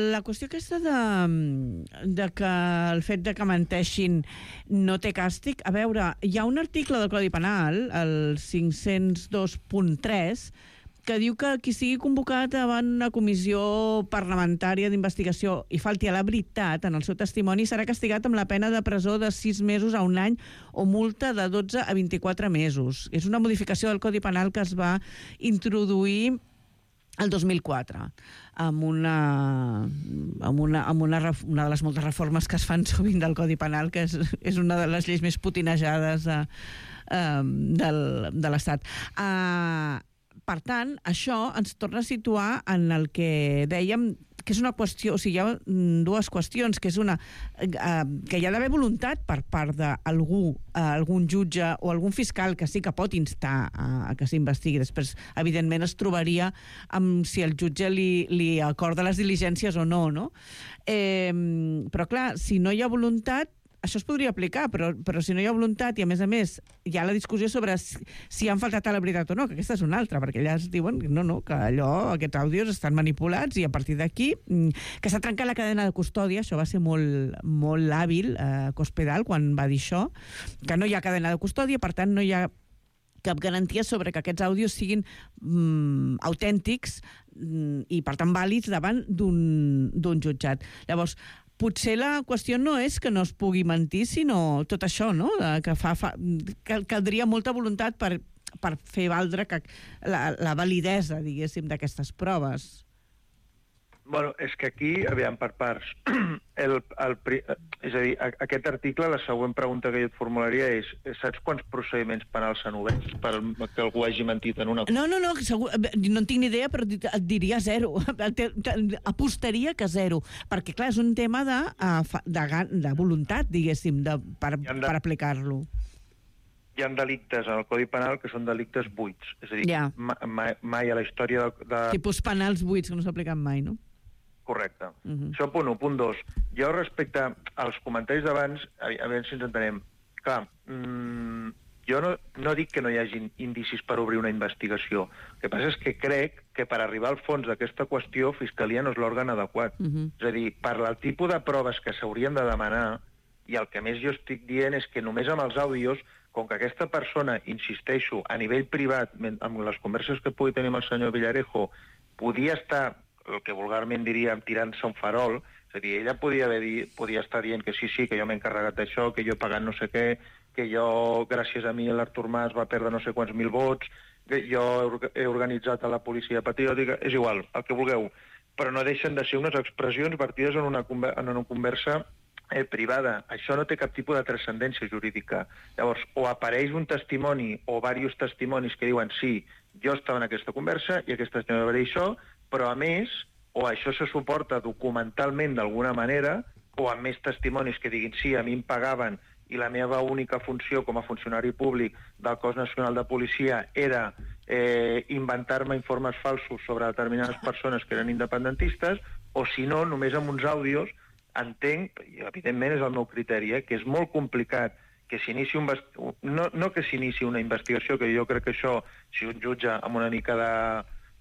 S10: la qüestió aquesta de que el fet de que menteixin no té càstig, a veure, hi ha un article del Codi Penal, el 502.3, que diu que qui sigui convocat davant una comissió parlamentària d'investigació i falti a la veritat en el seu testimoni serà castigat amb la pena de presó de 6 mesos a 1 any o multa de 12 a 24 mesos. És una modificació del Codi Penal que es va introduir el 2004, amb una de les moltes reformes que es fan sovint del Codi Penal, que és una de les lleis més potinejades de l'Estat. Per tant, això ens torna a situar en el que dèiem, que és una qüestió, o sigui, hi ha dues qüestions, que és una, que hi ha d'haver voluntat per part d'algú, algun jutge o algun fiscal que sí que pot instar a que s'investigui. Després, evidentment, es trobaria amb si el jutge li acorda les diligències o no, no? Però, clar, si no hi ha voluntat, això es podria aplicar, però si no hi ha voluntat i, a més, hi ha la discussió sobre si han faltat a la veritat o no, que aquesta és una altra, perquè allà es diuen no, que aquests àudios estan manipulats i a partir d'aquí, que s'ha trencat la cadena de custòdia, això va ser molt hàbil Cospedal quan va dir això, que no hi ha cadena de custòdia, per tant no hi ha cap garantia sobre que aquests àudios siguin autèntics i, per tant, vàlids davant d'un jutjat. Llavors, potser la qüestió no és que no es pugui mentir, sinó tot això, no? Que caldria molta voluntat per fer valdre la validesa, diguéssim, d'aquestes proves.
S13: Bueno, és que aquí, aviam, per parts. És a dir, aquest article, la següent pregunta que jo et formularia és: saps quants procediments penals s'han obert perquè algú hagi mentit en una...
S10: No, segur, no en tinc ni idea, però et diria 0. Apostaria que 0. Perquè, clar, és un tema de voluntat, diguéssim, per aplicar-lo.
S13: Hi ha delictes en el Codi Penal que són delictes buits. És a dir, mai a la història de...
S10: Tipus penals buits que no s'apliquen mai, no?
S13: Correcte. Això punt 1. Punt 2. Jo respecte als comentaris d'abans, a veure si ens entenem. Clar, jo no dic que no hi hagi indicis per obrir una investigació. El que passa és que crec que per arribar al fons d'aquesta qüestió, Fiscalia no és l'òrgan adequat. És a dir, per el tipus de proves que s'haurien de demanar, i el que més jo estic dient és que només amb els àudios, com que aquesta persona, insisteixo, a nivell privat, amb les converses que pugui tenir amb el senyor Villarejo, podia estar, el que vulgarment diríem, tirant-se un farol, és a dir, ella podia estar dient que sí, que jo m'he encarregat d'això, que jo he pagat no sé què, que jo, gràcies a mi, l'Artur Mas va perdre no sé quants mil vots, que jo he organitzat a la policia patriòtica, és igual, el que vulgueu, però no deixen de ser unes expressions vertides en una conversa privada. Això no té cap tipus de transcendència jurídica. Llavors, o apareix un testimoni o diversos testimonis que diuen sí, jo estava en aquesta conversa i aquesta senyora va dir això, però a més, o això se suporta documentalment d'alguna manera, o amb més testimonis que diguin sí, a mi em pagaven i la meva única funció com a funcionari públic del Cos Nacional de Policia era inventar-me informes falsos sobre determinades persones que eren independentistes, o si no, només amb uns àudios. Entenc, i evidentment és el meu criteri, que és molt complicat que s'inici no que s'inici una investigació, que jo crec que això, si un jutge amb una mica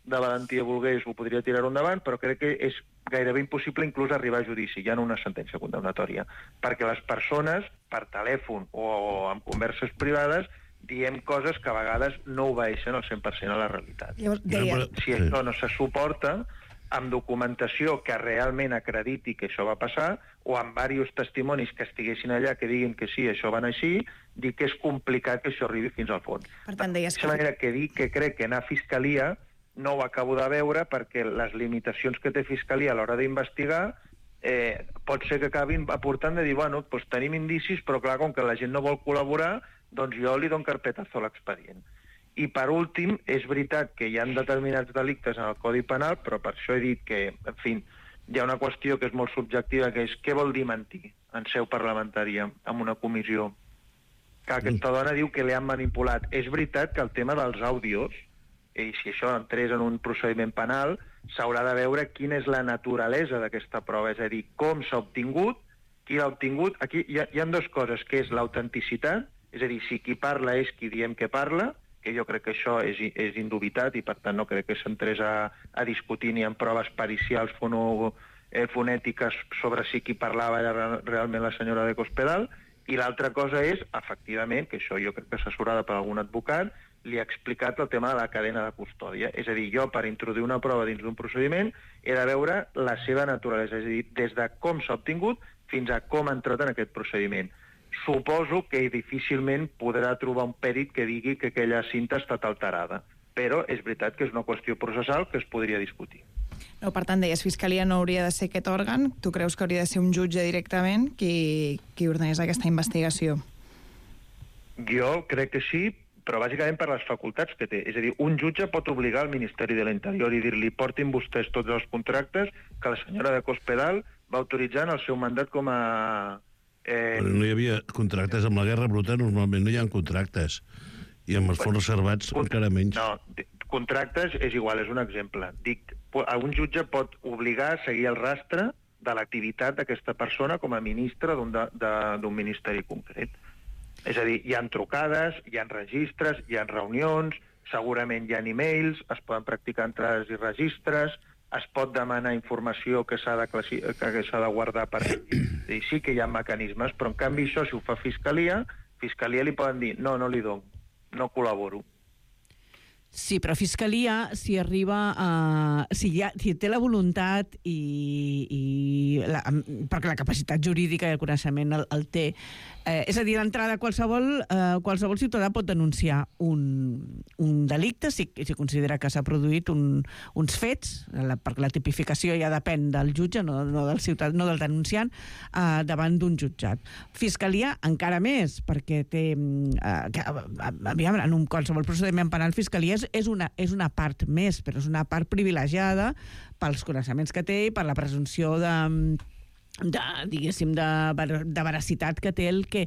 S13: de valentia volgués, ho podria tirar endavant, però crec que és gairebé impossible inclús arribar a judici, ja en una sentència condemnatòria, perquè les persones, per telèfon o amb converses privades, diem coses que a vegades no obeeixen al 100% a la realitat. Si això no se suporta, amb documentació que realment acrediti que això va passar, o amb diversos testimonis que estiguessin allà que diguin que sí, això va anar així, dic que és complicat que això arribi fins al fons.
S12: Per tant, deies
S13: que... De manera que dic que crec que anar a Fiscalia no ho acabo de veure perquè les limitacions que té Fiscalia a l'hora d'investigar pot ser que acabin aportant de dir, bueno, doncs tenim indicis, però clar, com que la gent no vol col·laborar, doncs jo li dono carpetazo a l'expedient. I, per últim, és veritat que hi ha determinats delictes en el Codi Penal, però per això he dit que, en fi, hi ha una qüestió que és molt subjectiva, que és què vol dir mentir en seu parlamentària, en una comissió. Que aquesta dona diu que li han manipulat. És veritat que el tema dels àudios, i si això entrés en un procediment penal, s'haurà de veure quina és la naturalesa d'aquesta prova, és a dir, com s'ha obtingut, qui l'ha obtingut. Aquí hi ha dues coses, que és l'autenticitat, és a dir, si qui parla és qui diem que parla, que jo crec que això és indubitat i per tant no crec que s'entrés a discutir ni en proves pericials fonètiques sobre si qui parlava era realment la senyora de Cospedal, i l'altra cosa és, efectivament, que això jo crec que assessorada per algun advocat, li ha explicat el tema de la cadena de custòdia. És a dir, jo, per introduir una prova dins d'un procediment, he de veure la seva naturalesa, és a dir, des de com s'ha obtingut fins a com ha entrat en aquest procediment. Suposo que difícilment podrà trobar un pèrit que digui que aquella cinta ha estat alterada, però és veritat que és una qüestió processal que es podria discutir.
S12: No, per tant, deies, Fiscalia no hauria de ser aquest òrgan. Tu creus que hauria de ser un jutge directament qui ordenés aquesta investigació?
S13: Jo crec que sí, però bàsicament per les facultats que té. És a dir, un jutge pot obligar al Ministeri de l'Interior i dir-li portin vostès tots els contractes que la senyora de Cospedal va autoritzar en el seu mandat com a...
S9: Però no hi havia contractes amb la guerra bruta, normalment no hi ha contractes. I amb els fons reservats encara menys.
S13: No, contractes és igual, és un exemple. Dic, un jutge pot obligar a seguir el rastre de l'activitat d'aquesta persona com a ministre d'un ministeri concret. És a dir, hi ha trucades, hi ha registres, hi ha reunions, segurament hi ha e-mails, es poden practicar entrades i registres, es pot demanar informació que s'ha de guardar per dir, sí que hi ha mecanismes, però en canvi això, si ho fa Fiscalia li poden dir, no li dono, no col·laboro.
S10: Sí, però Fiscalia, si arriba a... Si té la voluntat perquè la capacitat jurídica i el coneixement el té, és a dir, d'entrada qualsevol ciutadà pot denunciar un delicte si considera que s'ha produït uns fets, perquè la tipificació ja depèn del jutge, no del denunciant, davant d'un jutjat. Fiscalia encara més, perquè té... Aviam, en qualsevol procediment penal, Fiscalia és una part més, però és una part privilegiada pels coneixements que té i per la presumpció de veracitat que té el que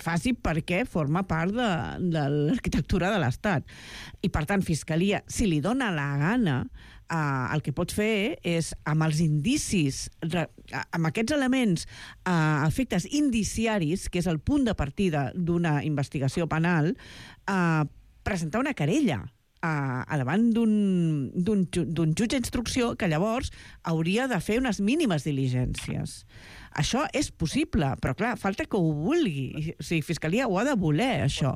S10: faci, perquè forma part de l'arquitectura de l'Estat. I, per tant, Fiscalia, si li dona la gana, el que pot fer és, amb els indicis, amb aquests elements, efectes indiciaris, que és el punt de partida d'una investigació penal, presentar una querella davant d'un jutge d'instrucció que llavors hauria de fer unes mínimes diligències. Això és possible, però clar, falta que ho vulgui. O sigui, Fiscalia ho ha de voler, això.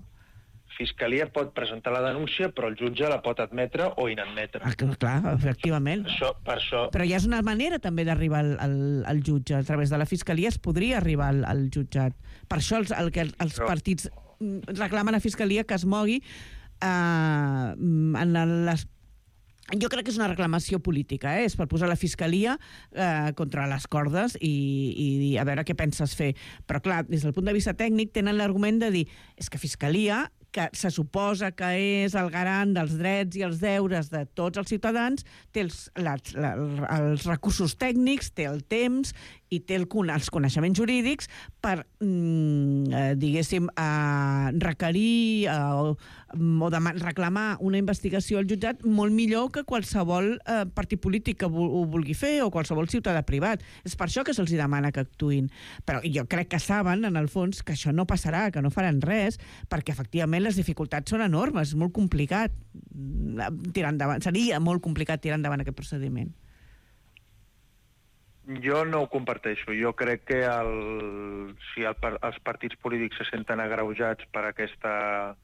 S13: Fiscalia pot presentar la denúncia, però el jutge la pot admetre o inadmetre.
S10: Clar, efectivament.
S13: Per això...
S10: Però ja és una manera també d'arribar al jutge. A través de la Fiscalia es podria arribar al jutjat. Per això els partits reclamen a Fiscalia que es mogui jo crec que és una reclamació política, és per posar la Fiscalia contra les cordes i dir, a veure què penses fer. Però clar, des del punt de vista tècnic tenen l'argument de dir, és que Fiscalia, que se suposa que és el garant dels drets i els deures de tots els ciutadans, té els recursos tècnics, té el temps i té els coneixements jurídics per, diguéssim, requerir o reclamar una investigació al jutjat molt millor que qualsevol partit polític que ho vulgui fer o qualsevol ciutadà privat. És per això que se'ls demana que actuïn. Però jo crec que saben, en el fons, que això no passarà, que no faran res, perquè, efectivament, les dificultats són enormes, és molt complicat tirar endavant. Seria molt complicat tirar endavant aquest procediment.
S13: Jo no ho comparteixo. Jo crec que si els partits polítics se senten agreujats per aquesta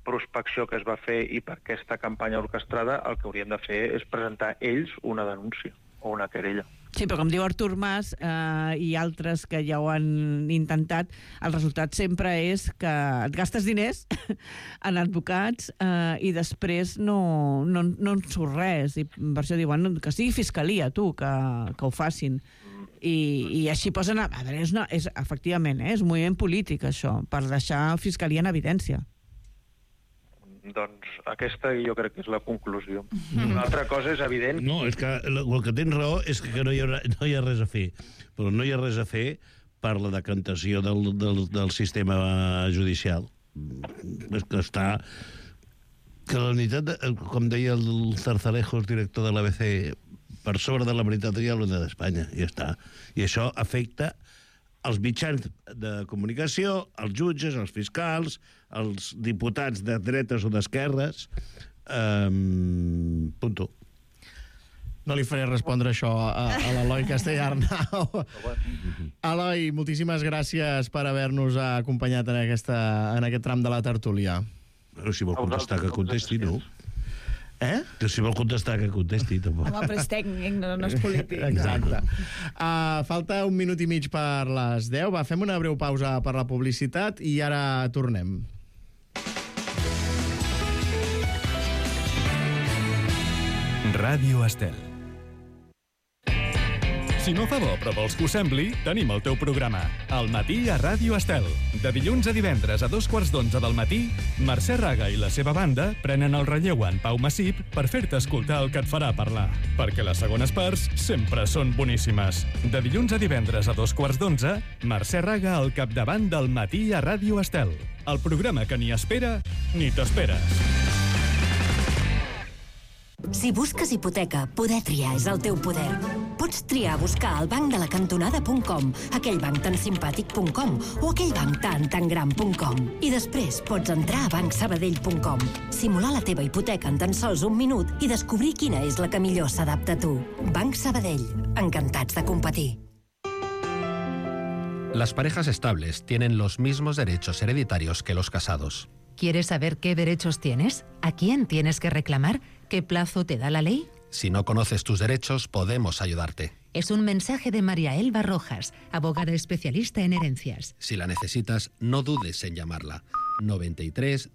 S13: prospecció que es va fer i per aquesta campanya orquestrada, el que haurien de fer és presentar ells una denúncia o una querella.
S10: Sí, però com diu Artur Mas i altres que ja ho han intentat, el resultat sempre és que et gastes diners en advocats i després no en surt res. I per això diuen que sigui Fiscalia, tu, que ho facin. I així posen... A veure, efectivament, és un moviment polític, això, per deixar Fiscalia en evidència.
S13: Doncs aquesta jo crec que és la conclusió. Una altra cosa és evident...
S9: No, és que el que tens raó és que no hi ha res a fer. Però no hi ha res a fer per la decantació del sistema judicial. És que està... Que la unitat, com deia el Zarzalejos, director de l'ABC, per sobre de la veritat hi ha l'unitat d'Espanya, i ja està. I això afecta els mitjans de comunicació, els jutges, els fiscals, els diputats de dretes o d'esquerres, punto.
S2: No li faré respondre això a l'Eloi Castellarnau. Eloi, moltíssimes gràcies per haver-nos acompanyat en aquest tram de la tertúlia.
S9: Però si vol contestar, que contesti, no?
S2: Que
S9: si vol contestar, que contesti, tampoc.
S12: Home, però és tècnic, no és polític.
S2: Exacte. Falta 1 minut i mig per les 10. Va, fem una breu pausa per la publicitat i ara tornem.
S3: Ràdio Estel. Si no fa bo, però vols que ho sembli, tenim el teu programa. Al matí a Ràdio Estel. De dilluns a divendres a 11:45 del matí, Mercè Raga i la seva banda prenen el relleu en Pau Massip per fer-te escoltar el que et farà parlar. Perquè les segones parts sempre són boníssimes. De dilluns a divendres a 11:45, Mercè Raga al capdavant del matí a Ràdio Estel. El programa que ni espera ni t'esperes.
S14: Si busques hipoteca, poder triar és el teu poder. Pots triar buscar al bancdelacantonada.com, aquell banc tan simpàtic.com o aquell banc tan gran.com. I després pots entrar a bancsabadell.com, simular la teva hipoteca en tan sols 1 minut i descobrir quina és la que millor s'adapta a tu. Banc Sabadell. Encantats de competir.
S15: Las parejas estables tienen los mismos derechos hereditarios que los casados.
S7: ¿Quieres saber qué derechos tienes? ¿A quién tienes que reclamar? ¿Qué plazo te da la ley?
S15: Si no conoces tus derechos, podemos ayudarte.
S7: Es un mensaje de María Elba Rojas, abogada especialista en herencias.
S15: Si la necesitas, no dudes en llamarla. 93